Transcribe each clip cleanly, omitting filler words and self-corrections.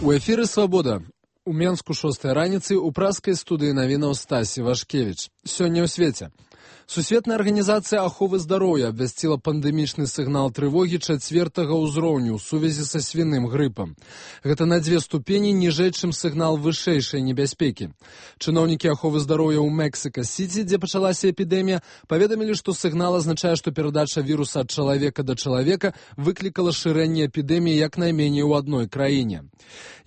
У эфіры «Свабода». У Менску 6 раніцы ў праскай студыі навінаў Стасі Вашкевіч. Сёння ў свеце. Сусветная арганізацыя аховы здароўя абвясціла пандэмічны сігнал трывогі 4-го ўзроўню ў сувязі са свіным грыпам. Гэта на 2 ступені ніжэй, чым сігнал вышэйшай небяспекі. Чыноўнікі аховы здароўя ў Мексіка-Сіці, дзе пачалася эпідэмія, паведамілі, што сігнал азначае, што перадача віруса ад чалавека да чалавека выклікала шырэнне эпідэміі як найменей у адной краіне.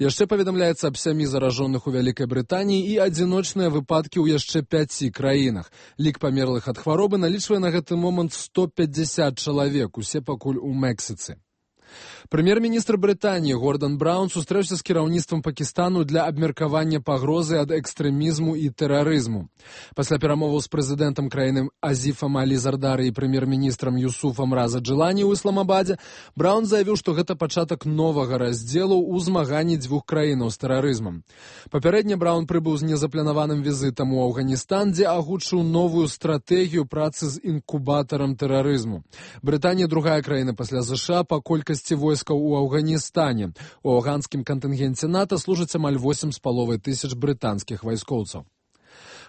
Яшчэ паведамляецца аб 7 заражоных у Вялікай Брытаніі і адзіночныя выпадкі ў яшчэ 5 краінах. Лік памерлых ад хваробы налічвае на гэты момант 150 чалавек, усе пакуль у Мексіцы. Прэм'ер-міністр Брытаніі Гордан Браўн сустрэўся з кіраўніцтвам Пакістану для абмеркавання пагрозы ад экстрэмізму і тэрарызму. Пасля перамоваў з прэзідэнтам краіны Азіфам Алі Зардары і прэм'ер-міністрам Юсуфам Раза Джилані ў Ісламабадзе, Браўн заявіў, што гэта пачатак новага раздзелу ў змаганні дзвюх краінаў з тэрарызмам. Папярэдне Браўн прыбыў з незапланаваным візітам у Афганістан, дзе агучыў новую стратэгію працы з інкубатарам тэрарызму. Брытанія другая краіна пасля США па колькасці войскаў у Афганістане. У афганскім кантынгенце НАТО служыць амаль 8,5 тысяч брытанскіх вайскоўцаў.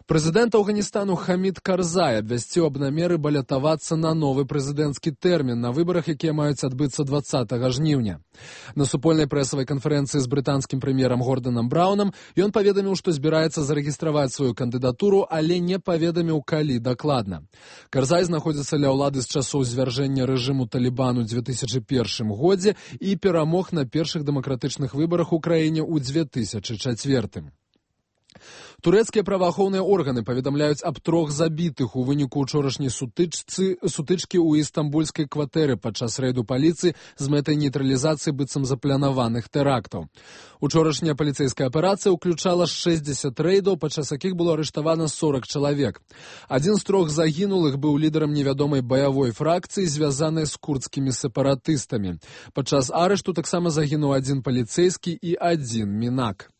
Прэзідэнт Афганістану Хамід Карзай абвясціў аб намеры балятавацца на новы прэзідэнцкі тэрмін на выбарах, якія маюць адбыцца 20 жніўня. На супольнай прэсавай канферэнцыі з брытанскім прэм'ерам Горданам Браўнам ён паведаміў, што збіраецца зарэгістраваць сваю кандыдатуру, але не паведаміў, калі дакладна. Карзай знаходзіцца ля ўлады з часоў звяржэння рэжыму Талібану ў 2001 годзе і перамог на першых дэмакратычных выбарах у краіне ў 2004. Турэцкія праваахоўныя органы паведамляюць аб 3 забітых у выніку ўчорашняй сутычкі ў істамбульскай кватэры падчас рэйду паліцыі з мэтай нейтралізацыі быццам запланаваных тэрактаў. Учорашняя паліцэйская аперацыя ўключала 60 рэйдаў, падчас якіх было арыштавана 40 чалавек. Адзін з 3 загінулых быў лідарам невядомай баявой фракцыі, звязанай з курдскімі сепаратыстамі. Падчас арышту таксама загінуў 1 паліцэйскі і 1 мінак.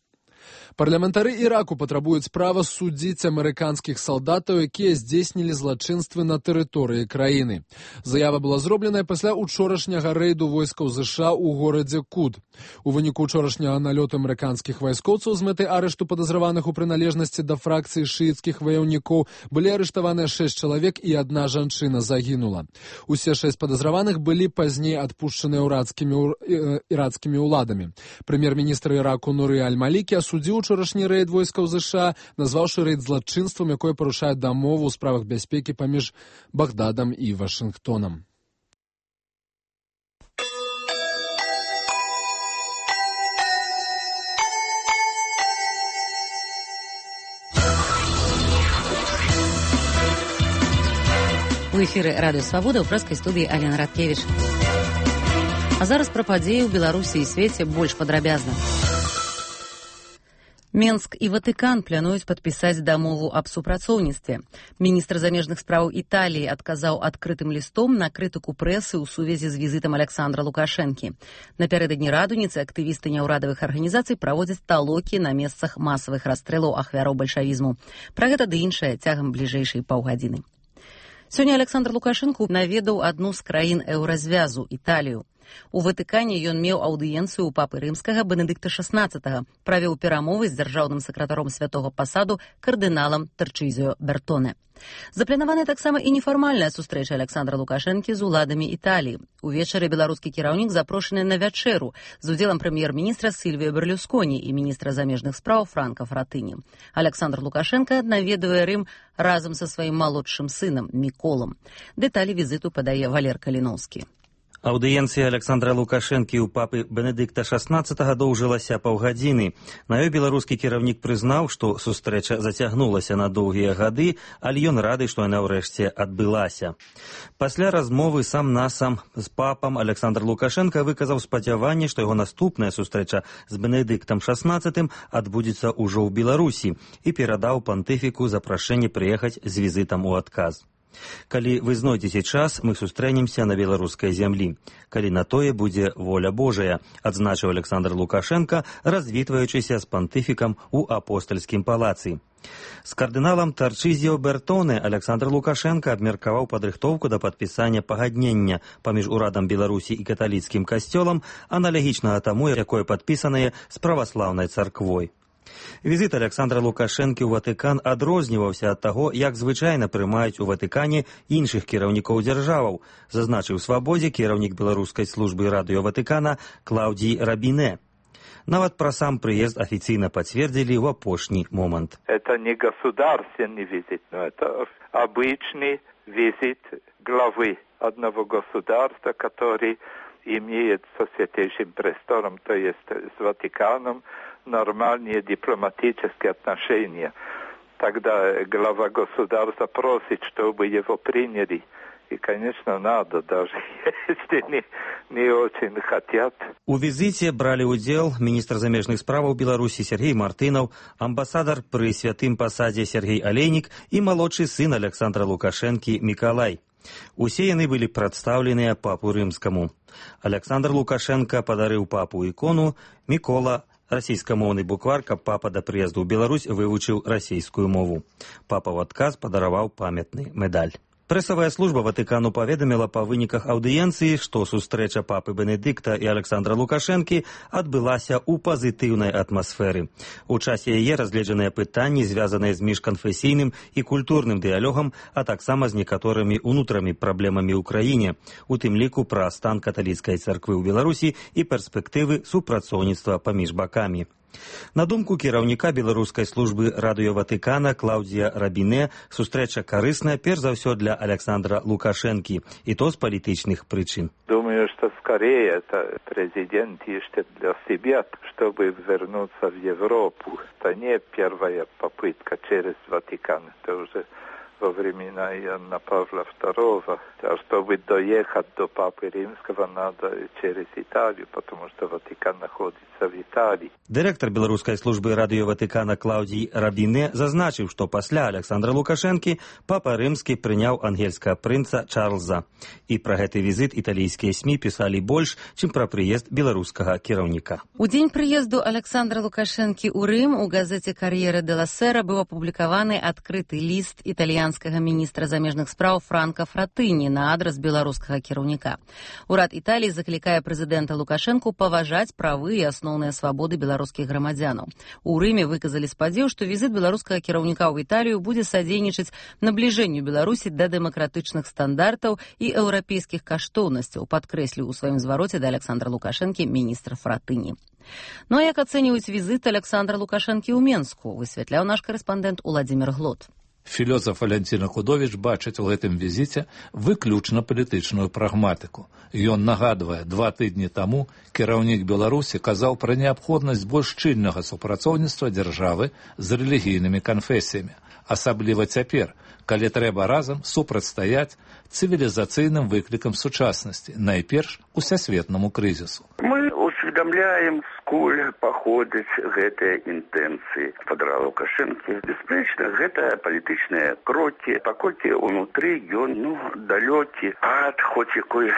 Парламентары Іраку патрабуюць права судзіць амерыканскіх салдатаў, якія здзейснілі злачынствы на тэрыторыі краіны. Заява была зробленая пасля учорашняга рэйду войскаў США ў горадзе Кут. У выніку учорашняга налёту амерыканскіх вайскоўцаў з мэтай арышту падазраваных у прыналежнасці да фракцыі шыіцкіх ваяўнікоў былі арыштаваныя 6 чалавек і 1 жанчына загінула. Усе 6 падазраваных былі пазней адпушчаныя ірацкімі ўладамі. Прэм'ер-міністр Іраку Нуры Аль-Малікі асудзіў учорашні рэйд войскаў США, назваўшы рэйд злачынствам, якое парушае дамову ў справах бяспекі паміж Багдадам і Вашынгтонам. У эфіры радыё «Свабода» ў прэскай студыі Алена Радкевіч. А зараз пра падзеі ў Беларусі і свеце больш падрабязна. Менск і Ватыкан плануюць падпісаць дамову аб супрацоўніцтве. Міністр замежных спраў Італіі адказаў адкрытым лістом на крытыку прэсы ў сувязі з візітам Александра Лукашэнкі. Напярэдадні радуніцы актывісты няўрадавых арганізацый праводзяць талокі на месцах масавых расстрэлаў ахвяраў бальшавізму. Пра гэта ды іншае цягам бліжэйшай паўгадзіны. Сёння Александр Лукашэнка наведаў адну з краін еўразвязу – Італію. У Ватыкане ён меў аўдыенцыю ў папы рымскага Бенедыкта XVI, правёў перамовы з дзяржаўным сакратаром святога пасаду кардыналам Тарчызіо Бертоне. Запланаваная таксама і нефармальная сустрэча Александра Лукашэнкі з уладамі Італіі. Увечары беларускі кіраўнік запрошаны на вячэру з удзелам прэм'ер-міністра Сільвіё Берлюсконі і міністра замежных спраў Франка Фратыні. Александр Лукашэнка наведвае Рым разам са сваім малодшым сынам Міколам. Дэталі візіту падае Валер Каліноўскі. Аўдыенцыя Александра Лукашэнкі ў папы Бенедыкта XVI доўжылася паўгадзіны. На ёй беларускі кіраўнік прызнаў, што сустрэча зацягнулася на доўгія гады, але ён рады, што яна ўрэшце адбылася. Пасля размовы сам-насам з папам Александр Лукашэнка выказаў спадзяванне, што яго наступная сустрэча з Бенедыктам XVI адбудзецца ўжо ў Беларусі і перадаў пантыфіку запрашэнне прыехаць з візітам у адказ. Калі вы знойдзеце час, мы сустрэнемся на беларускай зямлі. Калі на тое будзе воля Божая, адзначыў Александр Лукашенко, развітваючыся з пантыфікам у апостальскім палацы. З кардыналам Тарчызіо Бертоне Александр Лукашенко абмеркаваў падрыхтоўку да падпісання пагаднення паміж урадам Беларусі і каталіцкім касцёлам, аналагічнага таму, якое падпісанае з праваслаўнай царквой. Візит Александра Лукашэнкі ў Ватыкан адрозніваўся ад таго, як звычайна прымаюць у Ватыкане іншых кіраўнікоў дзяржаваў, зазначыў Свабодзе кіраўнік беларускай службы радыё Ватыкана Клаўдзій Рабіне. Нават пра сам прыезд афіцыйна пацвердзілі ў апошні момант. Это не государственный визит, но это обычный визит главы одного государства, который имеет со Святейшим Престолом, то есть с Ватиканом, нормальные дипломатические отношения. Тогда глава государства просит, чтобы его приняли. И, конечно, надо, даже если не очень хотят. У візіце бралі ўдзел міністр замежных справаў Беларусі Сергей Мартынаў, амбасадар пры святым пасадзе Сергей Алейнік і малодшы сын Александра Лукашэнкі Мікалай. Усе яны былі прадстаўленыя папу рымскаму. Александр Лукашенко падарыў папу ікону, Мікола расійскамоўны буквар, каб папа да прыезду ў Беларусь вывучыў расійскую мову. Папа ў адказ падараваў памятны медаль. Прэсавая служба Ватыкану паведаміла па выніках аўдыенцыі, што сустрэча папы Бенедыкта і Александра Лукашэнкі адбылася ў пазітыўнай атмасферы. У часе яе разгледжаныя пытанні, звязаныя з міжканфесійным і культурным дыялогам, а таксама з некаторымі ўнутрамі праблемамі ў краіне, у тым ліку пра стан каталіцкай царквы ў Беларусі і перспектывы супрацоўніцтва паміж бакамі. На думку кіраўніка беларускай службы радыё Ватыкана Клаўдзія Рабіне, сустрэча карысная перш за ўсё для Александра Лукашэнкі, і то з палітычных прычын. Думаю, что скорее это президент ищет для себя, чтобы вернуться в Европу. Это не первая попытка через Ватикан, это уже во времена Иоанна Павла II. А чтобы доехать до Папы Римского, надо через Италию, потому что Ватикан находится в Италии. Дырэктар беларускай службы радыё Ватыкана Клаўдзій Рабіне зазначыў, што пасля Александра Лукашэнкі папа рымскі прыняў ангельскага прынца Чарльза. І пра гэты візіт італійскія СМІ пісалі больш, чым пра прыезд беларускага кіраўніка. У дзень прыезду Александра Лукашэнкі ў Рым у газеце «Кар'ера де ла Сера» быў апублікаваны адкрыты ліст італьянскага міністра замежных спраў Франка Фратыні на адрас беларускага кіраўніка. Урад Італіі заклікае прэзідэнта Лукашэнку паважаць правы і асноўныя свабоды беларускіх грамадзянаў. У Рыме выказалі спадзеў, што візіт беларускага кіраўніка ў Італію будзе садзейнічаць набліжэнню Беларусі да дэмакратычных стандартаў і еўрапейскіх каштоўнасцяў, падкрэсліў у сваім звароце да Александра Лукашэнкі міністр Фратыні. Ну а як ацэньваюць візіт Александра Лукашэнкі ў Менску, высвятляў наш карэспандэнт Уладзімір Глот. Філёзаф Валянціна Худовіч бачыць у гэтым візіце выключна палітычную прагматыку. Ён нагадвае, 2 тыдні таму кіраўнік Беларусі казаў пра неабходнасць больш шчыльнага супрацоўніцтва дзяржавы з рэлігійнымі канфесіямі. Асабліва цяпер, калі трэба разам супрацьстаяць цывілізацыйным выклікам сучаснасці, найперш усесветнаму крызісу. Мы усведомляем, сколь паходзяць гэтыя інтэнцыі Фадора Лукашэнкі. Бясспрэчна, гэта палітычныя крокі, паколькі ўнутры ён далёкі ад хоць якой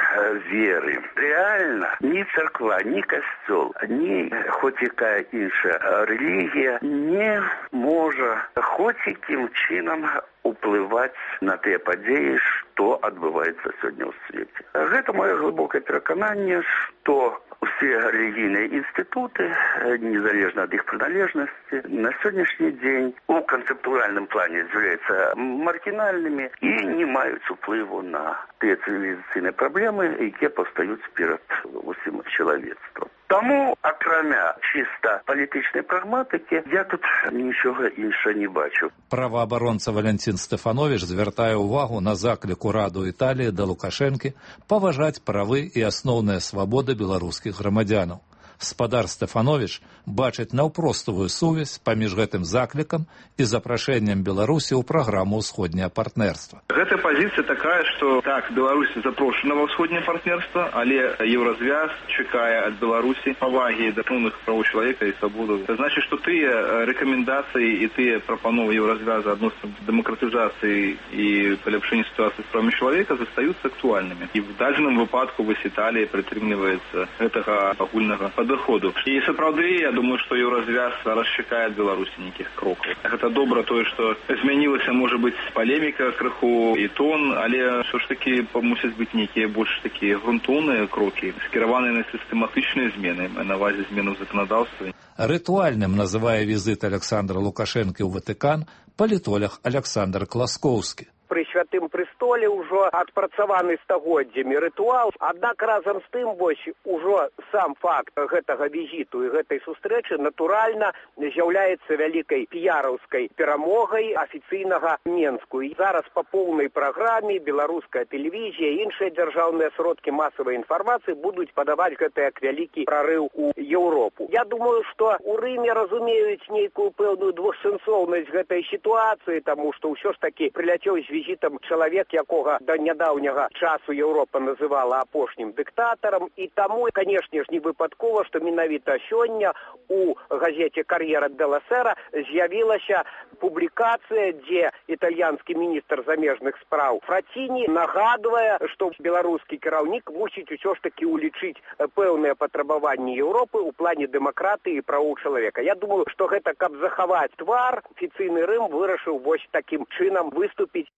веры. Рэальна, ні царква, ні касцёл, ні хоць якая іншая рэлігія не можа хоць якім чынам уплываць на тыя падзеі, што адбываецца сёння ў свеце. Гэта маё глыбокае перакананне, што усе рэлігійныя інстытуты, незалежна ад іх прыналежнасці, на сённяшні дзень у канцэптуальным плане з'яўляюцца маргінальнымі і не маюць уплыву на тыя цывілізацыйныя праблемы, якія паўстаюць перад усім чалавецтвам. Таму, акрамя чыста палітычнай прагматыкі, я тут нічога іншага не бачу. Праваабаронца Валянцін Стэфановіч звяртае ўвагу на заклік ураду Італіі да Лукашэнкі паважаць правы і асноўныя свабоды беларускіх грамадзянаў. Спадар Стэфановіч бачыць наўпростую сувязь паміж гэтым заклікам і запрашэннем Беларусі ў праграму ўсходняе партнерства. Гэта пазіцыя такая, што так, Беларусь запрошана ва ўсходняе партнерства, але Еўразвяз чакае ад Беларусі павагі да асноўных правоў чалавека і свабоду. Це значыць, што тыя рэкамендацыі і тыя прапановы Еўразвяза адносна дэмакратызацыі і паляпшэння сітуацыі з правамі чалавека застаюцца актуальнымі. І в дадзеным выпадку вось Італія прытрымліваецца гэтага агульнага падыходу. І сапраўды, я думаю, што Еўразвяз зараз чакае ад Беларусі нейкіх крокаў. Гэта добра тое, што змянілася, можа быць, палеміка крыху і тон, але ўсё ж такі мусяць быць нейкія больш такія грунтоўныя крокі, скіраваныя на сістэматычныя змены, на ўвазе змены ў заканадаўстве. Рытуальным называе візит Александра Лукашэнкі ў Ватыкан палітолог Александр Класкоўскі. Пры святым престоле ўжо адпрацаваны стагоддзямі рытуал, аднак разам з тым вось ужо сам факт гэтага візіту і гэтай сустрэчы натуральна з'яўляецца вялікай піяраўскай перамогай афіцыйнага Менску. І зараз па поўнай праграме беларуская тэлевізія, іншыя дзяржаўныя сродкі масавай інфармацыі будуць падаваць гэта як вялікі прарыў у Еўропу. Я думаю, што у Рыме разумеюць нейкую пэўную двухсэнсоўнасць гэтай сітуацыі, таму што ўсё ж такі прыляцеў з візітам чалавек, якога да нядаўняга часу Еўропа называла апошнім дыктатарам, і таму, канешне ж, не выпадкова, што менавіта сёння у газеце «Кар'ера делла Сера» з'явілася публікацыя, дзе італьянскі міністр замежных спраў Фраціні нагадвае, што беларускі кіраўнік мусіць усё ж такі улічыць пэўныя патрабаванні Еўропы ў плане дэмакратыі і правоў чалавека. Я думаю, што гэта, каб захаваць твар, афіцыйны Рым вырашыў вось такім чынам выступіць.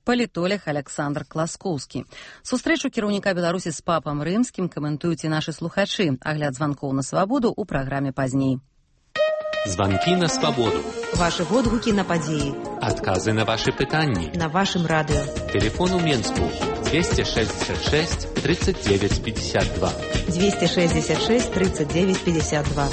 Палітолог Александр Класкоўскі. Сустрэчу кіраўніка Беларусі з папам рымскім каментуюць і нашы слухачы. Агляд званкоў на свабоду ў праграме пазней. Званкі на свабоду. Вашы водгукі на падзеі. Адказы на вашы пытанні. На вашым радыё. Телефон у Менску 266 39 52. 266 39 52.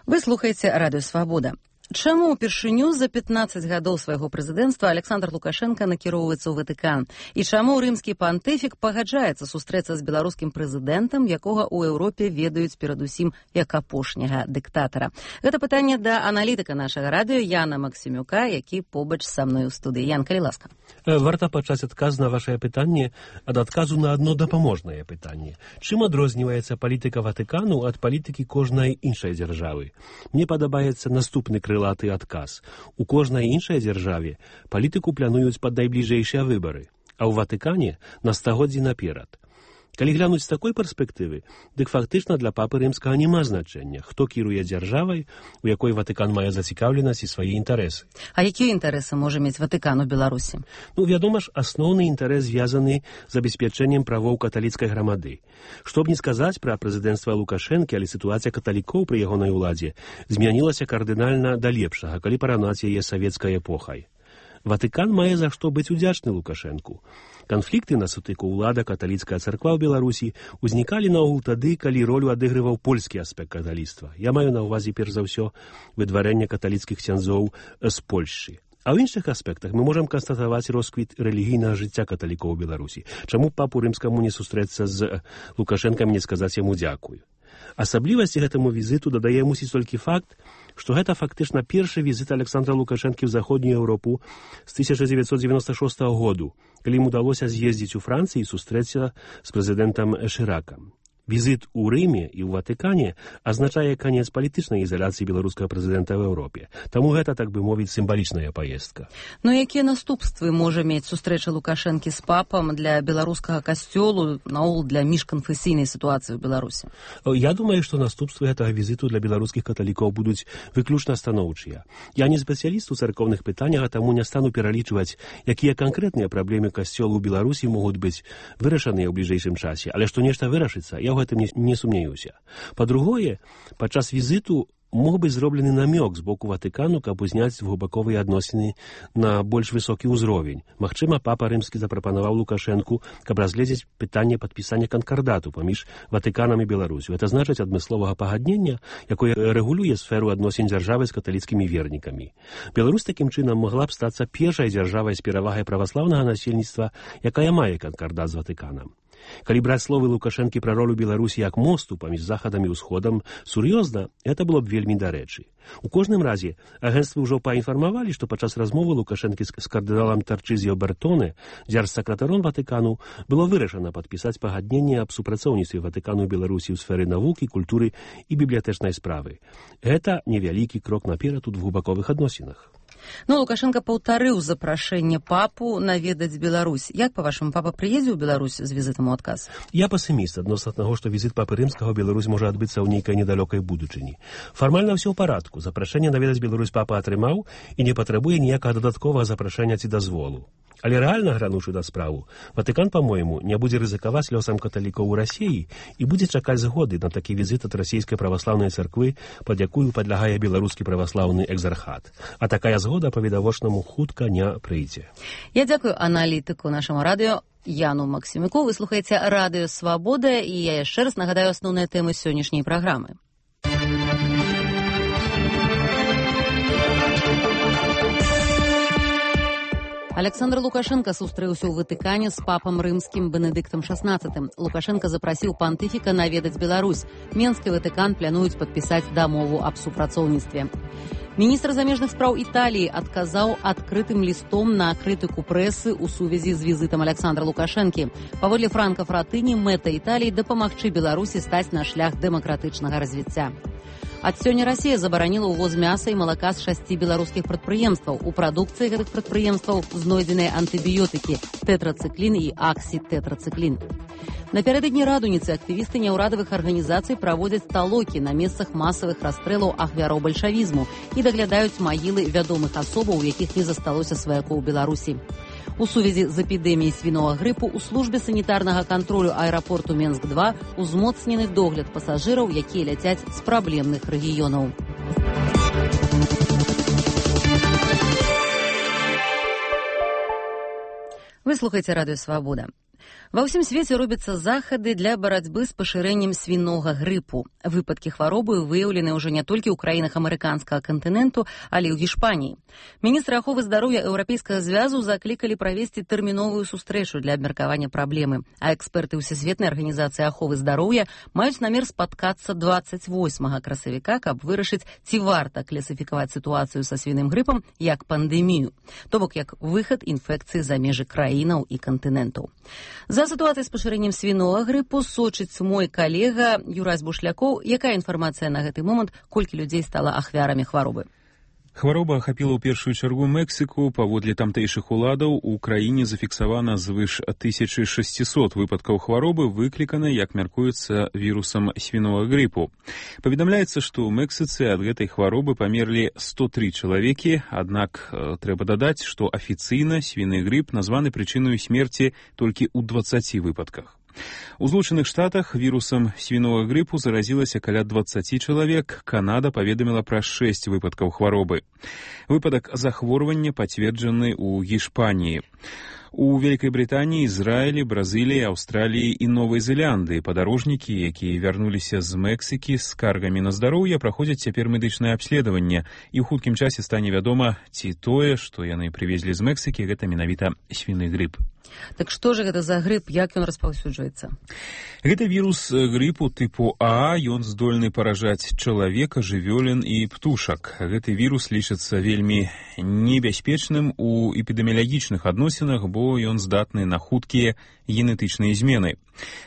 Вы слухаеце Радыё Свабода. Чаму ўпершыню за 15 гадоў свайго прэзідэнцтва Александр Лукашенко накіроўваецца ў Ватыкан? І чаму рымскі пантыфік пагаджаецца сустрэцца з беларускім прэзідэнтам, якога ў Еўропе ведаюць перадусім як апошняга дыктатара? Гэта пытанне да аналітыка нашага радыё Яна Максімюка, які побач са мной у студыі. Ян, калі ласка. Варта пачаць адказ на вашае пытанне ад адказу на адно дапаможнае пытанне. Чым адрозніваецца палітыка Ватыкану ад палітыкі кожнай іншай дзяржавы? Мне падабаецца наступны крылаты адказ. У кожнай іншай дзяржаве палітыку плануюць пад найбліжэйшыя выбары, а ў Ватыкане на стагоддзі наперад. Калі глянуць з такой перспектывы, дык фактычна для папы рымскага няма значэння, хто кіруе дзяржавай, у якой Ватыкан мае зацікаўленасць і свае інтарэсы. А якія інтарэсы можа мець Ватыкан у Беларусі? Вядома ж, асноўны інтарэс звязаны з забеспячэннем правоў каталіцкай грамады. Што б не сказаць пра прэзідэнцтва Лукашэнкі, але сітуацыя каталікоў пры ягонай уладзе змянілася кардынальна да лепшага, калі параўнаць яе савецкай эпохай. Ватыкан мае за што быць удзячны Лукашэнку. Канфлікты на сутыку ўлада каталіцкая царква ў Беларусі ўзнікалі наогул тады, калі ролю адыгрываў польскі аспект каталіцтва. Я маю на ўвазе перш за ўсё выдварэнне каталіцкіх ксяндзоў з Польшчы. А ў іншых аспектах мы можам канстатаваць росквіт рэлігійнага жыцця каталікоў у Беларусі. Чаму папу рымскаму не сустрэцца з Лукашэнкам, не сказаць яму дзякую? Асаблівасці гэтаму візіту дадае мусіць толькі факт, што гэта фактычна першы візіт Александра Лукашэнкі ў заходнюю Еўропу з 1996 году, калі ім удалося з'ездзіць у Францыі і сустрэцца з прэзідэнтам Шыракам. Візіт у Рыме і ў Ватыкане азначае канец палітычнай ізаляцыі беларускага прэзідэнта ў Еўропе. Таму гэта, так бы мовіць, сімвалічная паездка. Но якія наступствы можа мець сустрэча Лукашэнкі з папам для беларускага касцёлу, наогул для міжканфесійнай сітуацыі ў Беларусі? Я думаю, што наступствы гэтага візіту для беларускіх каталікоў будуць выключна станоўчыя. Я не спецыяліст у царкоўных пытаннях, а таму не стану пералічваць, якія канкрэтныя праблемы касцёлу ў Беларусі могуць быць вырашаныя ў бліжэйшым часе, але што нешта вырашыцца, я ў гэтым не сумняюся. Па-другое, падчас візіту мог быць зроблены намёк з боку Ватыкану, каб узняць двухбаковыя адносіны на больш высокі ўзровень. Магчыма, папа рымскі запрапанаваў Лукашэнку, каб разгледзець пытанне падпісання канкардату паміж Ватыканам і Беларусю. Гэта значыць адмысловага пагаднення, якое рэгулюе сферу адносін дзяржавы з каталіцкімі вернікамі. Беларусь такім чынам могла б стацца першай дзяржавай з перавагай праваслаўнага насельніцтва, якая мае канкардат з Ватыканам. Калі браць словы Лукашэнкі пра ролю Беларусі як мосту паміж захадам і ўсходам, сур'ёзна, гэта было б вельмі дарэчы. У кожным разе, агенцтвы ўжо паінфармавалі, што падчас размовы Лукашэнкі з кардыналам Тарчызіо Бертоне, дзяржсакратаром Ватыкану, было вырашана падпісаць пагадненне аб супрацоўніцтве Ватыкану ў Беларусі ў сферы навукі, культуры і бібліятэчнай справы. Гэта невялікі крок наперад у двухбаковых адносінах. Ну, Лукашенко паўтарыў запрашэнне папу наведаць Беларусь. Як, па-вашаму, папа прыедзе ў Беларусь з візітам у адказ? Я пасіміст адносна таго, што візіт папы рымскага ў Беларусь можа адбыцца ў нейкай недалёкай будучыні. Фармальна ўсё ў парадку. Запрашэнне наведаць Беларусь папа атрымаў і не патрабуе ніякага дадатковага запрашэння ці дазволу. Але рэальна грануўшы да справу, Ватыкан, па-мойму, не будзе рызыкаваць лёсам каталікоў у Расіі і будзе чакаць згоды на такі візіт ад расійскай праваслаўнай царквы, пад якую падлягае беларускі праваслаўны экзархат. А такая згода па-відавочнаму хутка не прыйдзе. Я дзякую аналітыку нашаму радыё Яну Максімюку. Вы слухаеце радыё «Свабода», і я яшчэ раз нагадаю асноўныя тэмы сённяшняй праграмы. Александр Лукашенко сустрэўся ў Ватыкане з папам рымскім Бенедыктам XVI. Лукашенко запрасіў пантыфіка наведаць Беларусь. Менск і Ватыкан плануюць падпісаць дамову аб супрацоўніцтве. Міністр замежных спраў Італіі адказаў адкрытым лістом на крытыку прэсы ў сувязі з візітам Александра Лукашэнкі. Паводле Франка Фратыні, мэта Італіі дапамагчы Беларусі стаць на шлях дэмакратычнага развіцця. Ад сёння Расія забараніла ўвоз мяса і малака з 6 беларускіх прадпрыемстваў. У прадукцыі гэтых прадпрыемстваў знойдзеныя антыбіётыкі тэтрацыклін і аксітэтрацыклін. Напярэдадні радуніцы актывісты няўрадавых арганізацый праводзяць талокі на месцах масавых расстрэлаў ахвяраў бальшавізму і даглядаюць магілы вядомых асобаў, у якіх не засталося сваякоў Беларусі. У сувязі з эпідэміяй свіновага грыпу у службе санітарнага кантролю аэрапорту Менск-2 узмоцнены догляд пасажыраў, якія ляцяць з праблемных рэгіёнаў. Вы слухаеце радыё «Свабода». Ва ўсім свеце робяцца захады для барацьбы з пашырэннем свінога грыпу. Выпадкі хваробы выяўлены ўжо не толькі ў краінах амерыканскага кантыненту, але і ў Гішпаніі. Міністры аховы здароўя Еўрапейскага звязу заклікалі правесці тэрміновую сустрэчу для абмеркавання праблемы, а эксперты Всесветнай арганізацыі аховы здароўя маюць намер спаткацца 28 красавіка, каб вырашыць, ці варта класіфікаваць сітуацыю са свіным грыпам як пандэмію, то бок як выхад інфекцыі за межы краінаў і кантынентаў. За сітуацыяй з пашырэннем свінога грыпу сочыць мой калега Юрась Бушлякоў. Якая інфармацыя на гэты момант, колькі людзей стала ахвярамі хваробы? Хвароба ахапіла ў першую чаргу Мексіку. Паводле тамтэйшых уладаў у краіне зафіксавана звыш 1600 выпадкаў хваробы, выкліканай, як мяркуецца, вірусам свінога грыпу. Паведамляецца, што ў Мексіцы ад гэтай хваробы памерлі 103 чалавекі, аднак трэба дадаць, што афіцыйна свіны грып названы прычынаю смерці толькі ў 20 выпадках. У Злучаных Штатах вірусам свінога грыпу заразілася каля 20 чалавек. Канада паведаміла пра 6 выпадкаў хваробы. Выпадак захворвання пацверджаны ў Гішпаніі. У Вялікай Брытаніі, Ізраілі, Бразыліі, Аўстраліі і Новай Зеландыі падарожнікі, якія вярнуліся з Мексікі з скаргамі на здароўе, праходзяць цяпер медычнае абследаванне, і ў хуткім часе стане вядома, ці тое, што яны прывезлі з Мексікі, гэта менавіта свіны грып. Так што ж гэта за грып, як ён распаўсюджваецца? Гэта вірус грыпу тыпу А, ён здольны паражаць чалавека, жывёлін і птушак. Гэты вірус лічыцца вельмі небяспечным у эпідэміялагічных адносінах, бо ён здатны на хуткія генетычныя змены.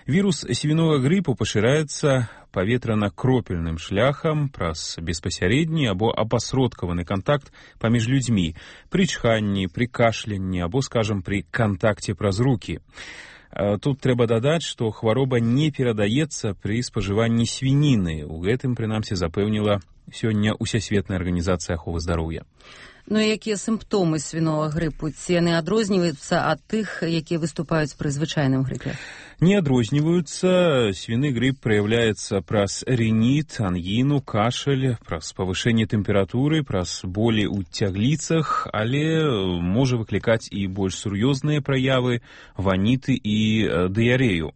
Вірус свінога грыпу пашыраецца паветрана-кропельным шляхам праз беспасярэдні або апасродкаваны кантакт паміж людзьмі, пры чханні, пры кашлянні або, скажам, пры кантакце праз рукі. Тут трэба дадаць, што хвароба не перадаецца пры спажыванні свініны. У гэтым, прынамсі, запэўніла сёння Усесветная арганізацыя аховы здароўя. Ну і якія сімптомы свінога грыпу? Ці яны адрозніваюцца ад тых, якія выступаюць пры звычайным грыпе? Не адрозніваюцца. Свіны грып праяўляецца праз рыніт, ангіну, кашаль, праз павышэнне тэмпературы, праз болі ў цягліцах, але можа выклікаць і больш сур'ёзныя праявы, ваніты і дыярэю.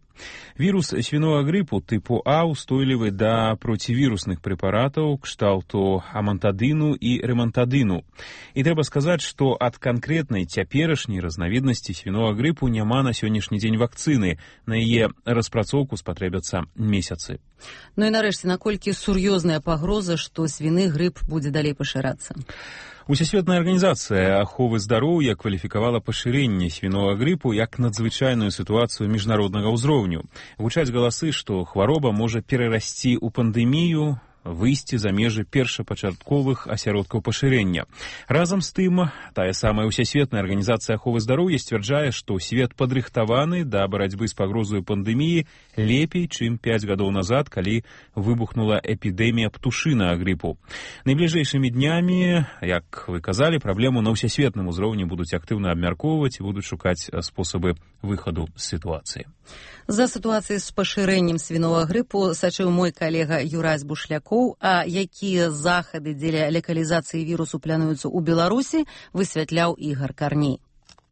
Вірус свіного грипу типу А устойлівы да процівірусных прэпаратаў кшталту амантадыну і ремантадыну. І трэба сказаць, што ад канкрэтнай цяперашняй разнавіднасці свіного грипу няма на сённяшні дзень вакцыны. На яе распрацоўку спатрэбяцца месяцы. Ну і нарэшце, наколькі сур'ёзная пагроза, што свіны грып будзе далей пашырацца? Усесветная арганізацыя аховы здароўя кваліфікавала пашырэнне свіного грипу як надзвычайную сітуацыю міжнароднага ўзроўню. Гучаць галасы, што хвароба можа перарасці ў пандэмію, выйсці за межы першапачатковых асяродкаў пашырэння. Разам з тым, тая самая Усесветная арганізацыя аховы здароўя сцвярджае, што свет падрыхтаваны да барацьбы з пагрозаю пандэміі лепей, чым 5 гадоў назад, калі выбухнула эпідэмія птушынага грипу. Найбліжэйшымі днямі, як вы казалі, праблему на ўсесветным узроўні будуць актыўна абмяркоўваць і будуць шукаць спосабы выхаду з сітуацыі. За сітуацыяй з пашырэннем свіного грипу сачыў мой калега Юрась Бушлякоў, а якія захады дзеля локалізацыі вірусу плануюцца ў Беларусі, высвятляў Ігар Карней.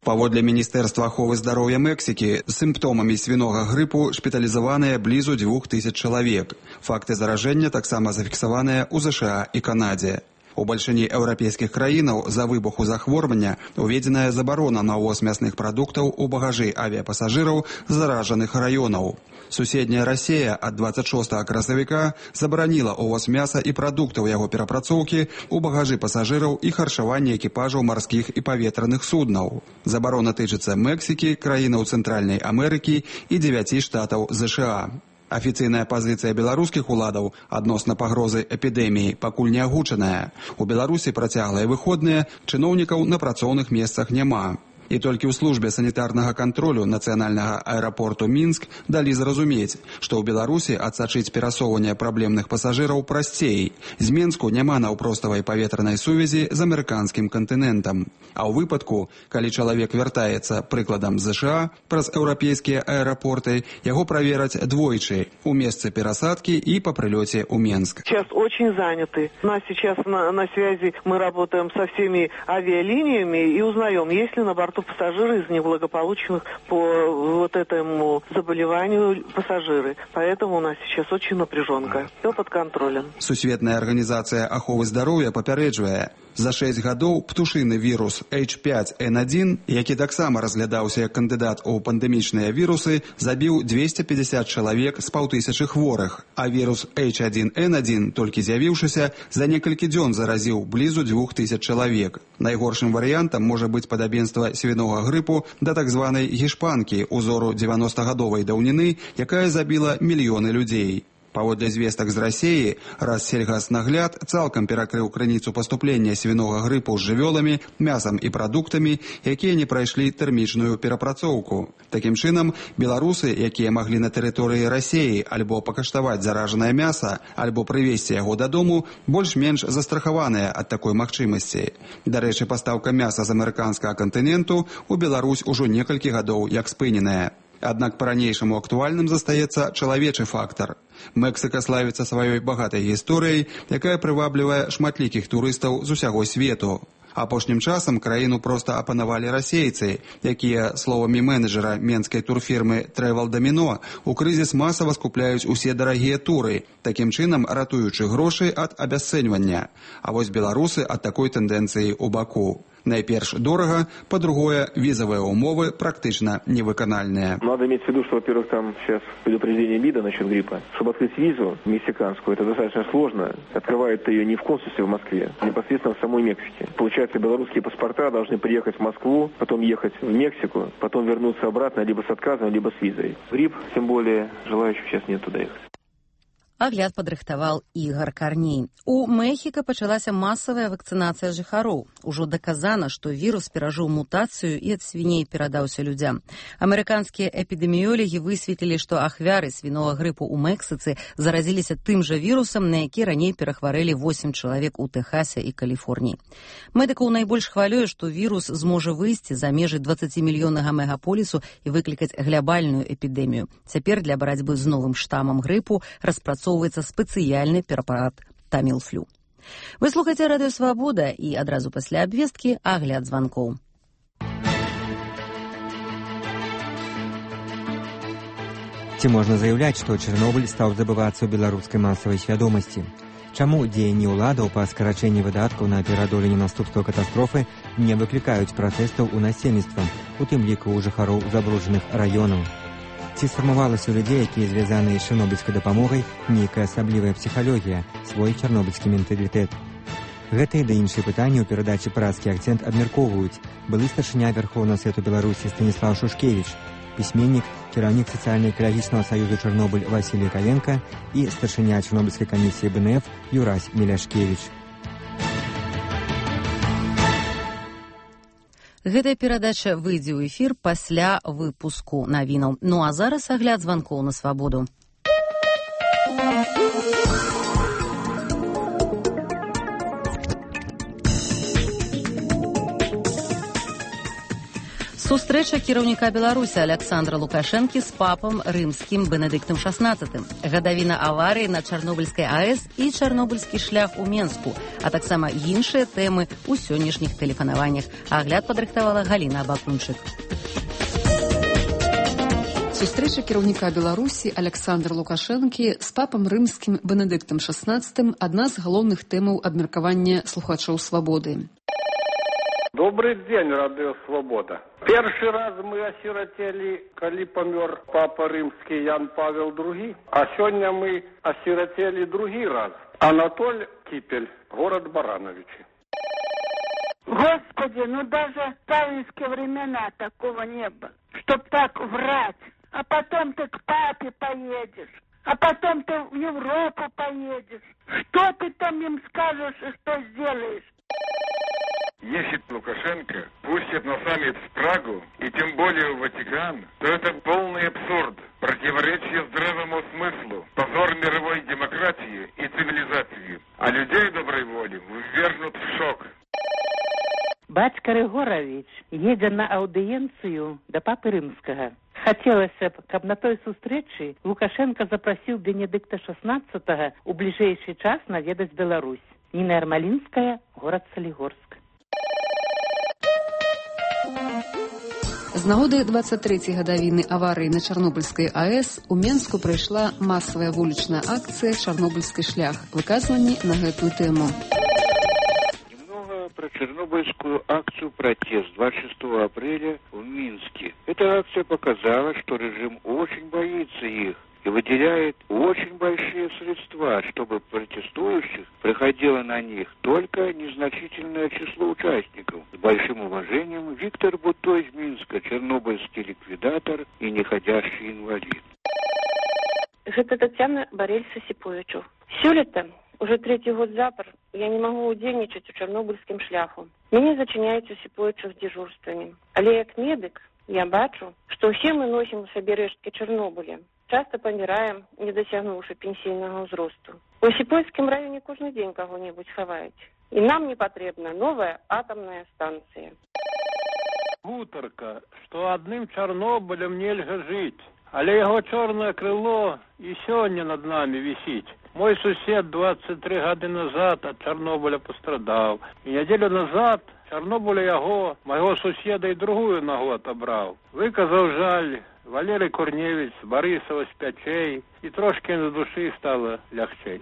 Паводле Міністэрства аховы здароўя Мексікі, сімптомамі свінога грипу шпіталізаваныя блізу 2000 чалавек. Факты заражэння таксама зафіксаваныя ў ЗША і Канадзе. У бальшыні еўрапейскіх краінаў за выбуху захворвання уведзеная забарона на ўвоз мясных прадуктаў у багажы авіяпасажыраў з заражаных раёнаў. Суседняя Расія ад 26 красавіка забараніла ўвоз мяса і прадуктаў яго перапрацоўкі ў багажы пасажыраў і харчавання экіпажаў марскіх і паветраных суднаў. Забарона тычыцца Мексікі, краінаў Цэнтральнай Амерыкі і 9 штатаў ЗША. Афіцыйная пазіцыя беларускіх уладаў адносна пагрозы эпідэміі пакуль не агучаная. У Беларусі працяглыя выходныя, чыноўнікаў на працоўных месцах няма. І толькі ў службе санітарнага кантролю нацыянальнага аэрапорту Мінск далі зразумець, што ў Беларусі адсачыць перасоўванне праблемных пасажыраў прасцей. З Менску няма наўпроставай паветранай сувязі з амерыканскім кантынентам. А ў выпадку, калі чалавек вяртаецца, прыкладам з ЗША, праз еўрапейскія аэрапорты, яго правераць двойчы у месцы перасадкі і па прылёце ў Менск. Сейчас очень заняты. У нас сейчас на связи мы работаем со всеми авиалиниями и узнаем, есть ли на борту пассажиры из неблагополучных по вот этому заболеванию пассажиры. Поэтому у нас сейчас очень напряженка. Все под контролем. Сусветная арганізацыя аховы здароўя папярэджвае, за 6 гадоў птушыны вірус H5N1, які таксама разглядаўся як кандыдат у пандэмічныя вірусы, забіў 250 чалавек з 500 хворых, а вірус H1N1, толькі з'явіўшыся, за некалькі дзён заразіў блізу 2000 чалавек. Найгоршым варыянтам можа быць падабенства свінога грипу да так званай гішпанкі узору 90-гадовай даўніны, якая забіла мільёны людзей. Паводле звестак з Расіі, Рассельгаснагляд цалкам перакрыў крыніцу паступлення свінога грипу з жывёламі, мясам і прадуктамі, якія не прайшлі тэрмічную перапрацоўку. Такім чынам, беларусы, якія маглі на тэрыторыі Расіі альбо пакаштаваць заражанае мяса, альбо прывезці яго дадому, больш-менш застрахаваныя ад такой магчымасці. Дарэчы, пастаўка мяса з амерыканскага кантыненту ў Беларусь ужо некалькі гадоў як спыненая. Аднак па-ранейшаму актуальным застаецца чалавечы фактар. Мексіка славіцца сваёй багатай гісторыяй, якая прываблівае шматлікіх турыстаў з усяго свету. Апошнім часам краіну проста апанавалі расейцы, якія, словамі менеджера менскай турфірмы Travel Domino, у крызіс масава скупляюць усе дарагія туры, такім чынам ратуючы грошы ад абясцэньвання. А вось беларусы ад такой тэндэнцыі ў баку. Найперш дорого, по-другое, визовые умовы практично невыканальные. Надо иметь в виду, что, во-первых, там сейчас предупреждение МИДа насчет гриппа. Чтобы открыть визу мексиканскую, это достаточно сложно. Открывают ее не в консульстве в Москве, а непосредственно в самой Мексике. Получается, белорусские паспорта должны приехать в Москву, потом ехать в Мексику, потом вернуться обратно либо с отказом, либо с визой. Грипп, тем более, желающих сейчас нет туда ехать. Агляд падрыхтаваў Ігар Карней. У Мехіка пачалася масавая вакцынацыя жыхароў. Ужо даказана, што вірус перажыў мутацыю і ад свіней перадаўся людзям. Амерыканскія эпідэміёлагі высветлілі, што ахвяры свінога грипу ў Мексіцы заразіліся тым жа вірусам, на які раней перахварэлі 8 чалавек у Тэхасе і Каліфорніі. Медыкаў найбольш хвалюе, што вірус зможа выйсці за межы 20-мільённага мегаполісу і выклікаць глябальную эпідэмію. Цяпер для барацьбы з новым штамам грипу распрацоўваецца спецыяльны препарат Тамілфлю. Вы слухаеце Радыё Свабода і адразу пасля абвесткі агляд званкоў. Ці можна заяўляць, што Чарнобыль стаў забывацца ў беларускай масавай свядомасці? Чаму дзеянні ўладаў па скарачэнні выдаткаў на пераадоленне наступстваў катастрофы не выклікаюць пратэстаў у насельніцтва, у тым ліку ў жыхароў забруджаных раёнаў? Ці сфармавалася ў людзей, якія звязаныя з чарнобыльскай дапамогай, нейкая асаблівая псіхалогія, свой чарнобыльскі менталітэт? Гэтыя ды іншыя пытанні ў перадачы «Празкі акцэнт» абмяркоўваюць былы старшыня Вярхоўнага Свету Беларусі Станіслав Шушкевіч, пісьменнік, кіраўнік сацыяльна-экалагічнага саюзу «Чарнобыль» Васілій Каенка і старшыня Чарнобыльскай камісіі БНФ Юрась Меляшкевіч. Гэтая перадача выйдзе ў эфір пасля выпуску навінаў. Ну а зараз агляд званкоў на свабоду. Сустрэча кіраўніка Беларусі Александра Лукашэнкі з папам рымскім Бенедыктам XVI, гадавіна аварыі на Чарнобыльскай АЭС і чарнобыльскі шлях у Менску, а таксама іншыя тэмы ў сённяшніх тэлефанаваннях. Агляд падрыхтавала Галіна Абакунчык. Сустрэча кіраўніка Беларусі Александра Лукашэнкі з папам рымскім Бенедыктам XVI – адна з галоўных тэмаў абмеркавання слухачоў свабоды. Добрый день, радио «Свобода». Первый раз мы осиротели, когда помер папа римский Ян Павел II, а сегодня мы осиротели другой раз. Анатолий Кипель, город Барановичи. Господи, ну даже в сталинские времена такого не было. Чтоб так врать, а потом ты к папе поедешь, а потом ты в Европу поедешь. Что ты там им скажешь и что сделаешь? Если Лукашенко пустит на саммит в Прагу, и тем более в Ватикан, то это полный абсурд, противоречие здравому смыслу, позор мировой демократии и цивилизации, а людей доброй воли ввергнут в шок. Бацька Рыгорович едзе на аўдыенцыю да папы рымскага. Хацелася б, каб на той сустрэчы Лукашенко запрасіў Бенедыкта XVI у бліжэйшы час наведаць Беларусь. Ніна Ярмалінская, горад Салігорск. З нагоды 23-й гадавіны аварыі на Чарнобыльскай АЭС у Менску прайшла масавая вулічная акцыя «Чарнобыльскі шлях», выказванні на гэтую тэму. Немного про Чернобыльскую акцию «Протест» 26 апреля в Минске. Эта акция показала, что режим очень боится их и выделяет очень большие средства, чтобы протестующих приходило на них только незначительное число участников. С большим уважением, Виктор Буто из Минска, чернобыльский ликвидатор и неходящий инвалид. Это Татьяна Борель-Сосиповичу. Сёлета, уже 3-й год запар, я не могу удзельнічаць у чарнобыльскім шляху. Мяне зачыняюць Осиповичу з дежурствамі. Але як медык я бачу, што ўсе мы носім у сабе рэшткі Чарнобыля. Часто помираем, не досягнувши пенсійного ўзросту. У Осипольскім районе кожны дзень кого-нибудь хаваюць. І нам не потребна новая атомная станция. Гутарка, что одним Чорнобылем нельга жить, але его черное крыло и сегодня над нами висит. Мой сусед 23 года назад от Чорнобыля пострадал. И неделю назад Чорнобыля яго, моего суседа и другую ногу отобрал. Выказал жаль Валерий Корневич з Борисова з Пячей, і трошки на душі стало лягчей.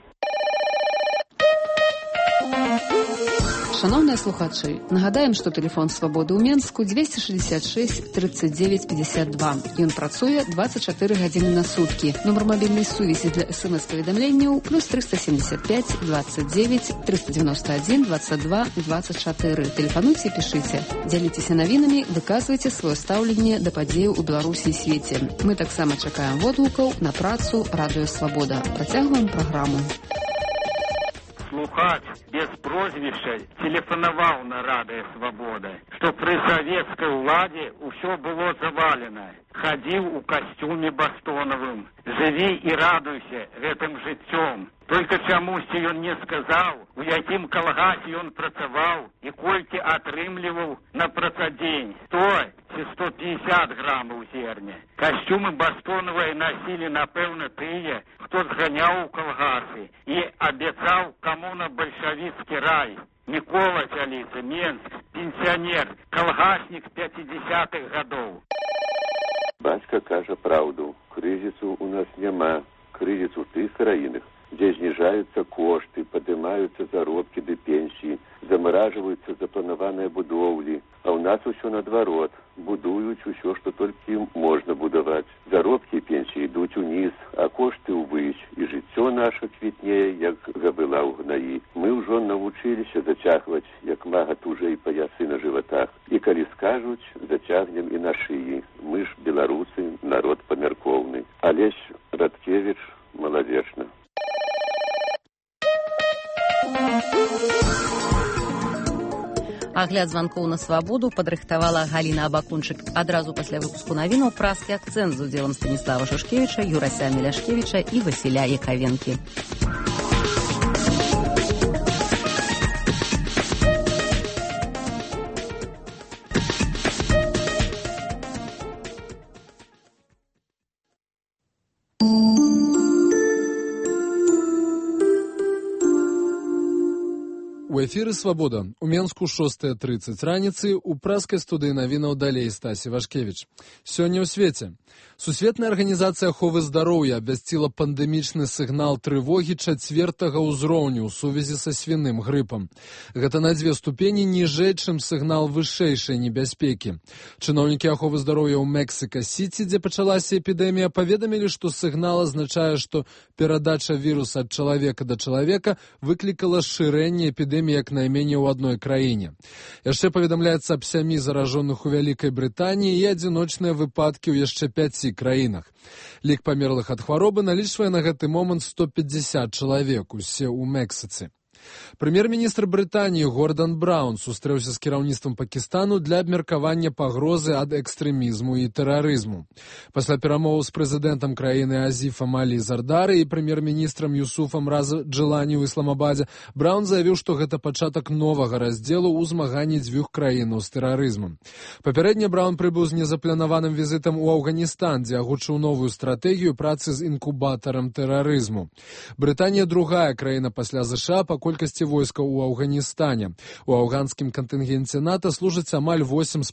Шановныя слухачы, нагадаем, што тэлефон свабоды ў Менску 266 39 52. Ён працуе 24 гадзіны на суткі. Нумар мабільнай сувязі для СМС-паведамленняў + 375 29 391 22 24. Тэлефануйце і пішыце. Дзяліцеся навінамі, выказвайце сваё стаўленне да падзеяў у Беларусі і свеце. Мы таксама чакаем водгукаў на працу Радыё Свабода. Працягваем праграму. Слухач без прозвища телефонаваў на Радыё Свабода, што пры савецкай уладзе ўсё было завалена. Хадзіў у касцюме бастонавым. Жыві і радуйся гэтым жыццём. Только чамусьці ён не сказаў, у якім калгасе ён працаваў і колькі атрымліваў на працадзень. 100 ці 150 грамаў зерня. Касцюмы бастонавыя насілі, напэўна, тыя, хто зганяў у калгасы і абяцаў камуна-бальшавіцкі рай. Мікола Цяліца, Менск, пенсіянер, калгаснік 50-х гадоў. Бацька кажа праўду. Крызісу у нас няма. Крызіс у тых краінах, дзе зніжаюцца кошты, падымаюцца заробкі ды пенсіі, замаражваюцца запланаваныя будоўлі. А ў нас усё наадварот. Будуюць усё, што толькі можна будаваць. Заробкі і пенсіі ідуць уніз, а кошты ўвысь. І жыццё наша квітнее, як габыла ў гнаі. Мы ўжо навучыліся зацягваць, як мага тужэй паясы на жыватах. І калі скажуць, зацягнем і на шыі. Мы ж беларусы, народ памяркоўны. Алесь Радкевіч, малавечна. Агляд званкоў на свабоду падрыхтавала Галіна Абакунчык. Адразу пасля выпуску навінаў праскі акцэнт з удзелам Станіслава Шушкевіча, Юрася Меляшкевіча і Васіля Якавенкі. У эфіры «Свабода». У Менску 6:30 раніцы, у праскай студыі навінаў далей Стасі Вашкевіч. Сёння ў свеце. Сусветная арганізацыя аховы здароўя абвясціла пандэмічны сігнал трывогі 4-го ўзроўню ў сувязі са свіным грыпам. Гэта на 2 ступені ніжэй, чым сігнал вышэйшай небяспекі. Чыноўнікі аховы здароўя ў Мексіка-Сіці, дзе пачалася эпідэмія, паведамілі, што сігнал азначае, што перадача віруса ад чалавека да чалавека выклікала шырэнне эпідэміі як найменей у адной краіне. Яшчэ паведамляецца аб 7 заражоных у Вялікай Брытаніі і адзіночныя выпадкі ў яшчэ 5 краінах. Лік памерлых ад хваробы налічвае на гэты момант 150 чалавек, усе ў Мексіцы. Прэм'ер-міністр Брытаніі Гордан Браўн сустрэўся з кіраўніцтвам Пакістану для абмеркавання пагрозы ад экстрэмізму і тэрарызму. Пасля перамоваў з прэзідэнтам краіны Азіфам Алі Зардары і прэм'ер-міністрам Юсуфам Раза Джилані ў Ісламабадзе, Браўн заявіў, што гэта пачатак новага раздзелу ў змаганні дзвюх краінаў з тэрарызмам. Папярэдне Браўн прыбыў з незапланаваным візітам у Афганістан, дзе агучыў новую стратэгію працы з інкубатарам тэрарызму. Брытанія другая краіна пасля ЗША па колькасці войскаў у Афганістане. У афганскім кантынгенце НАТО служыць амаль 8,5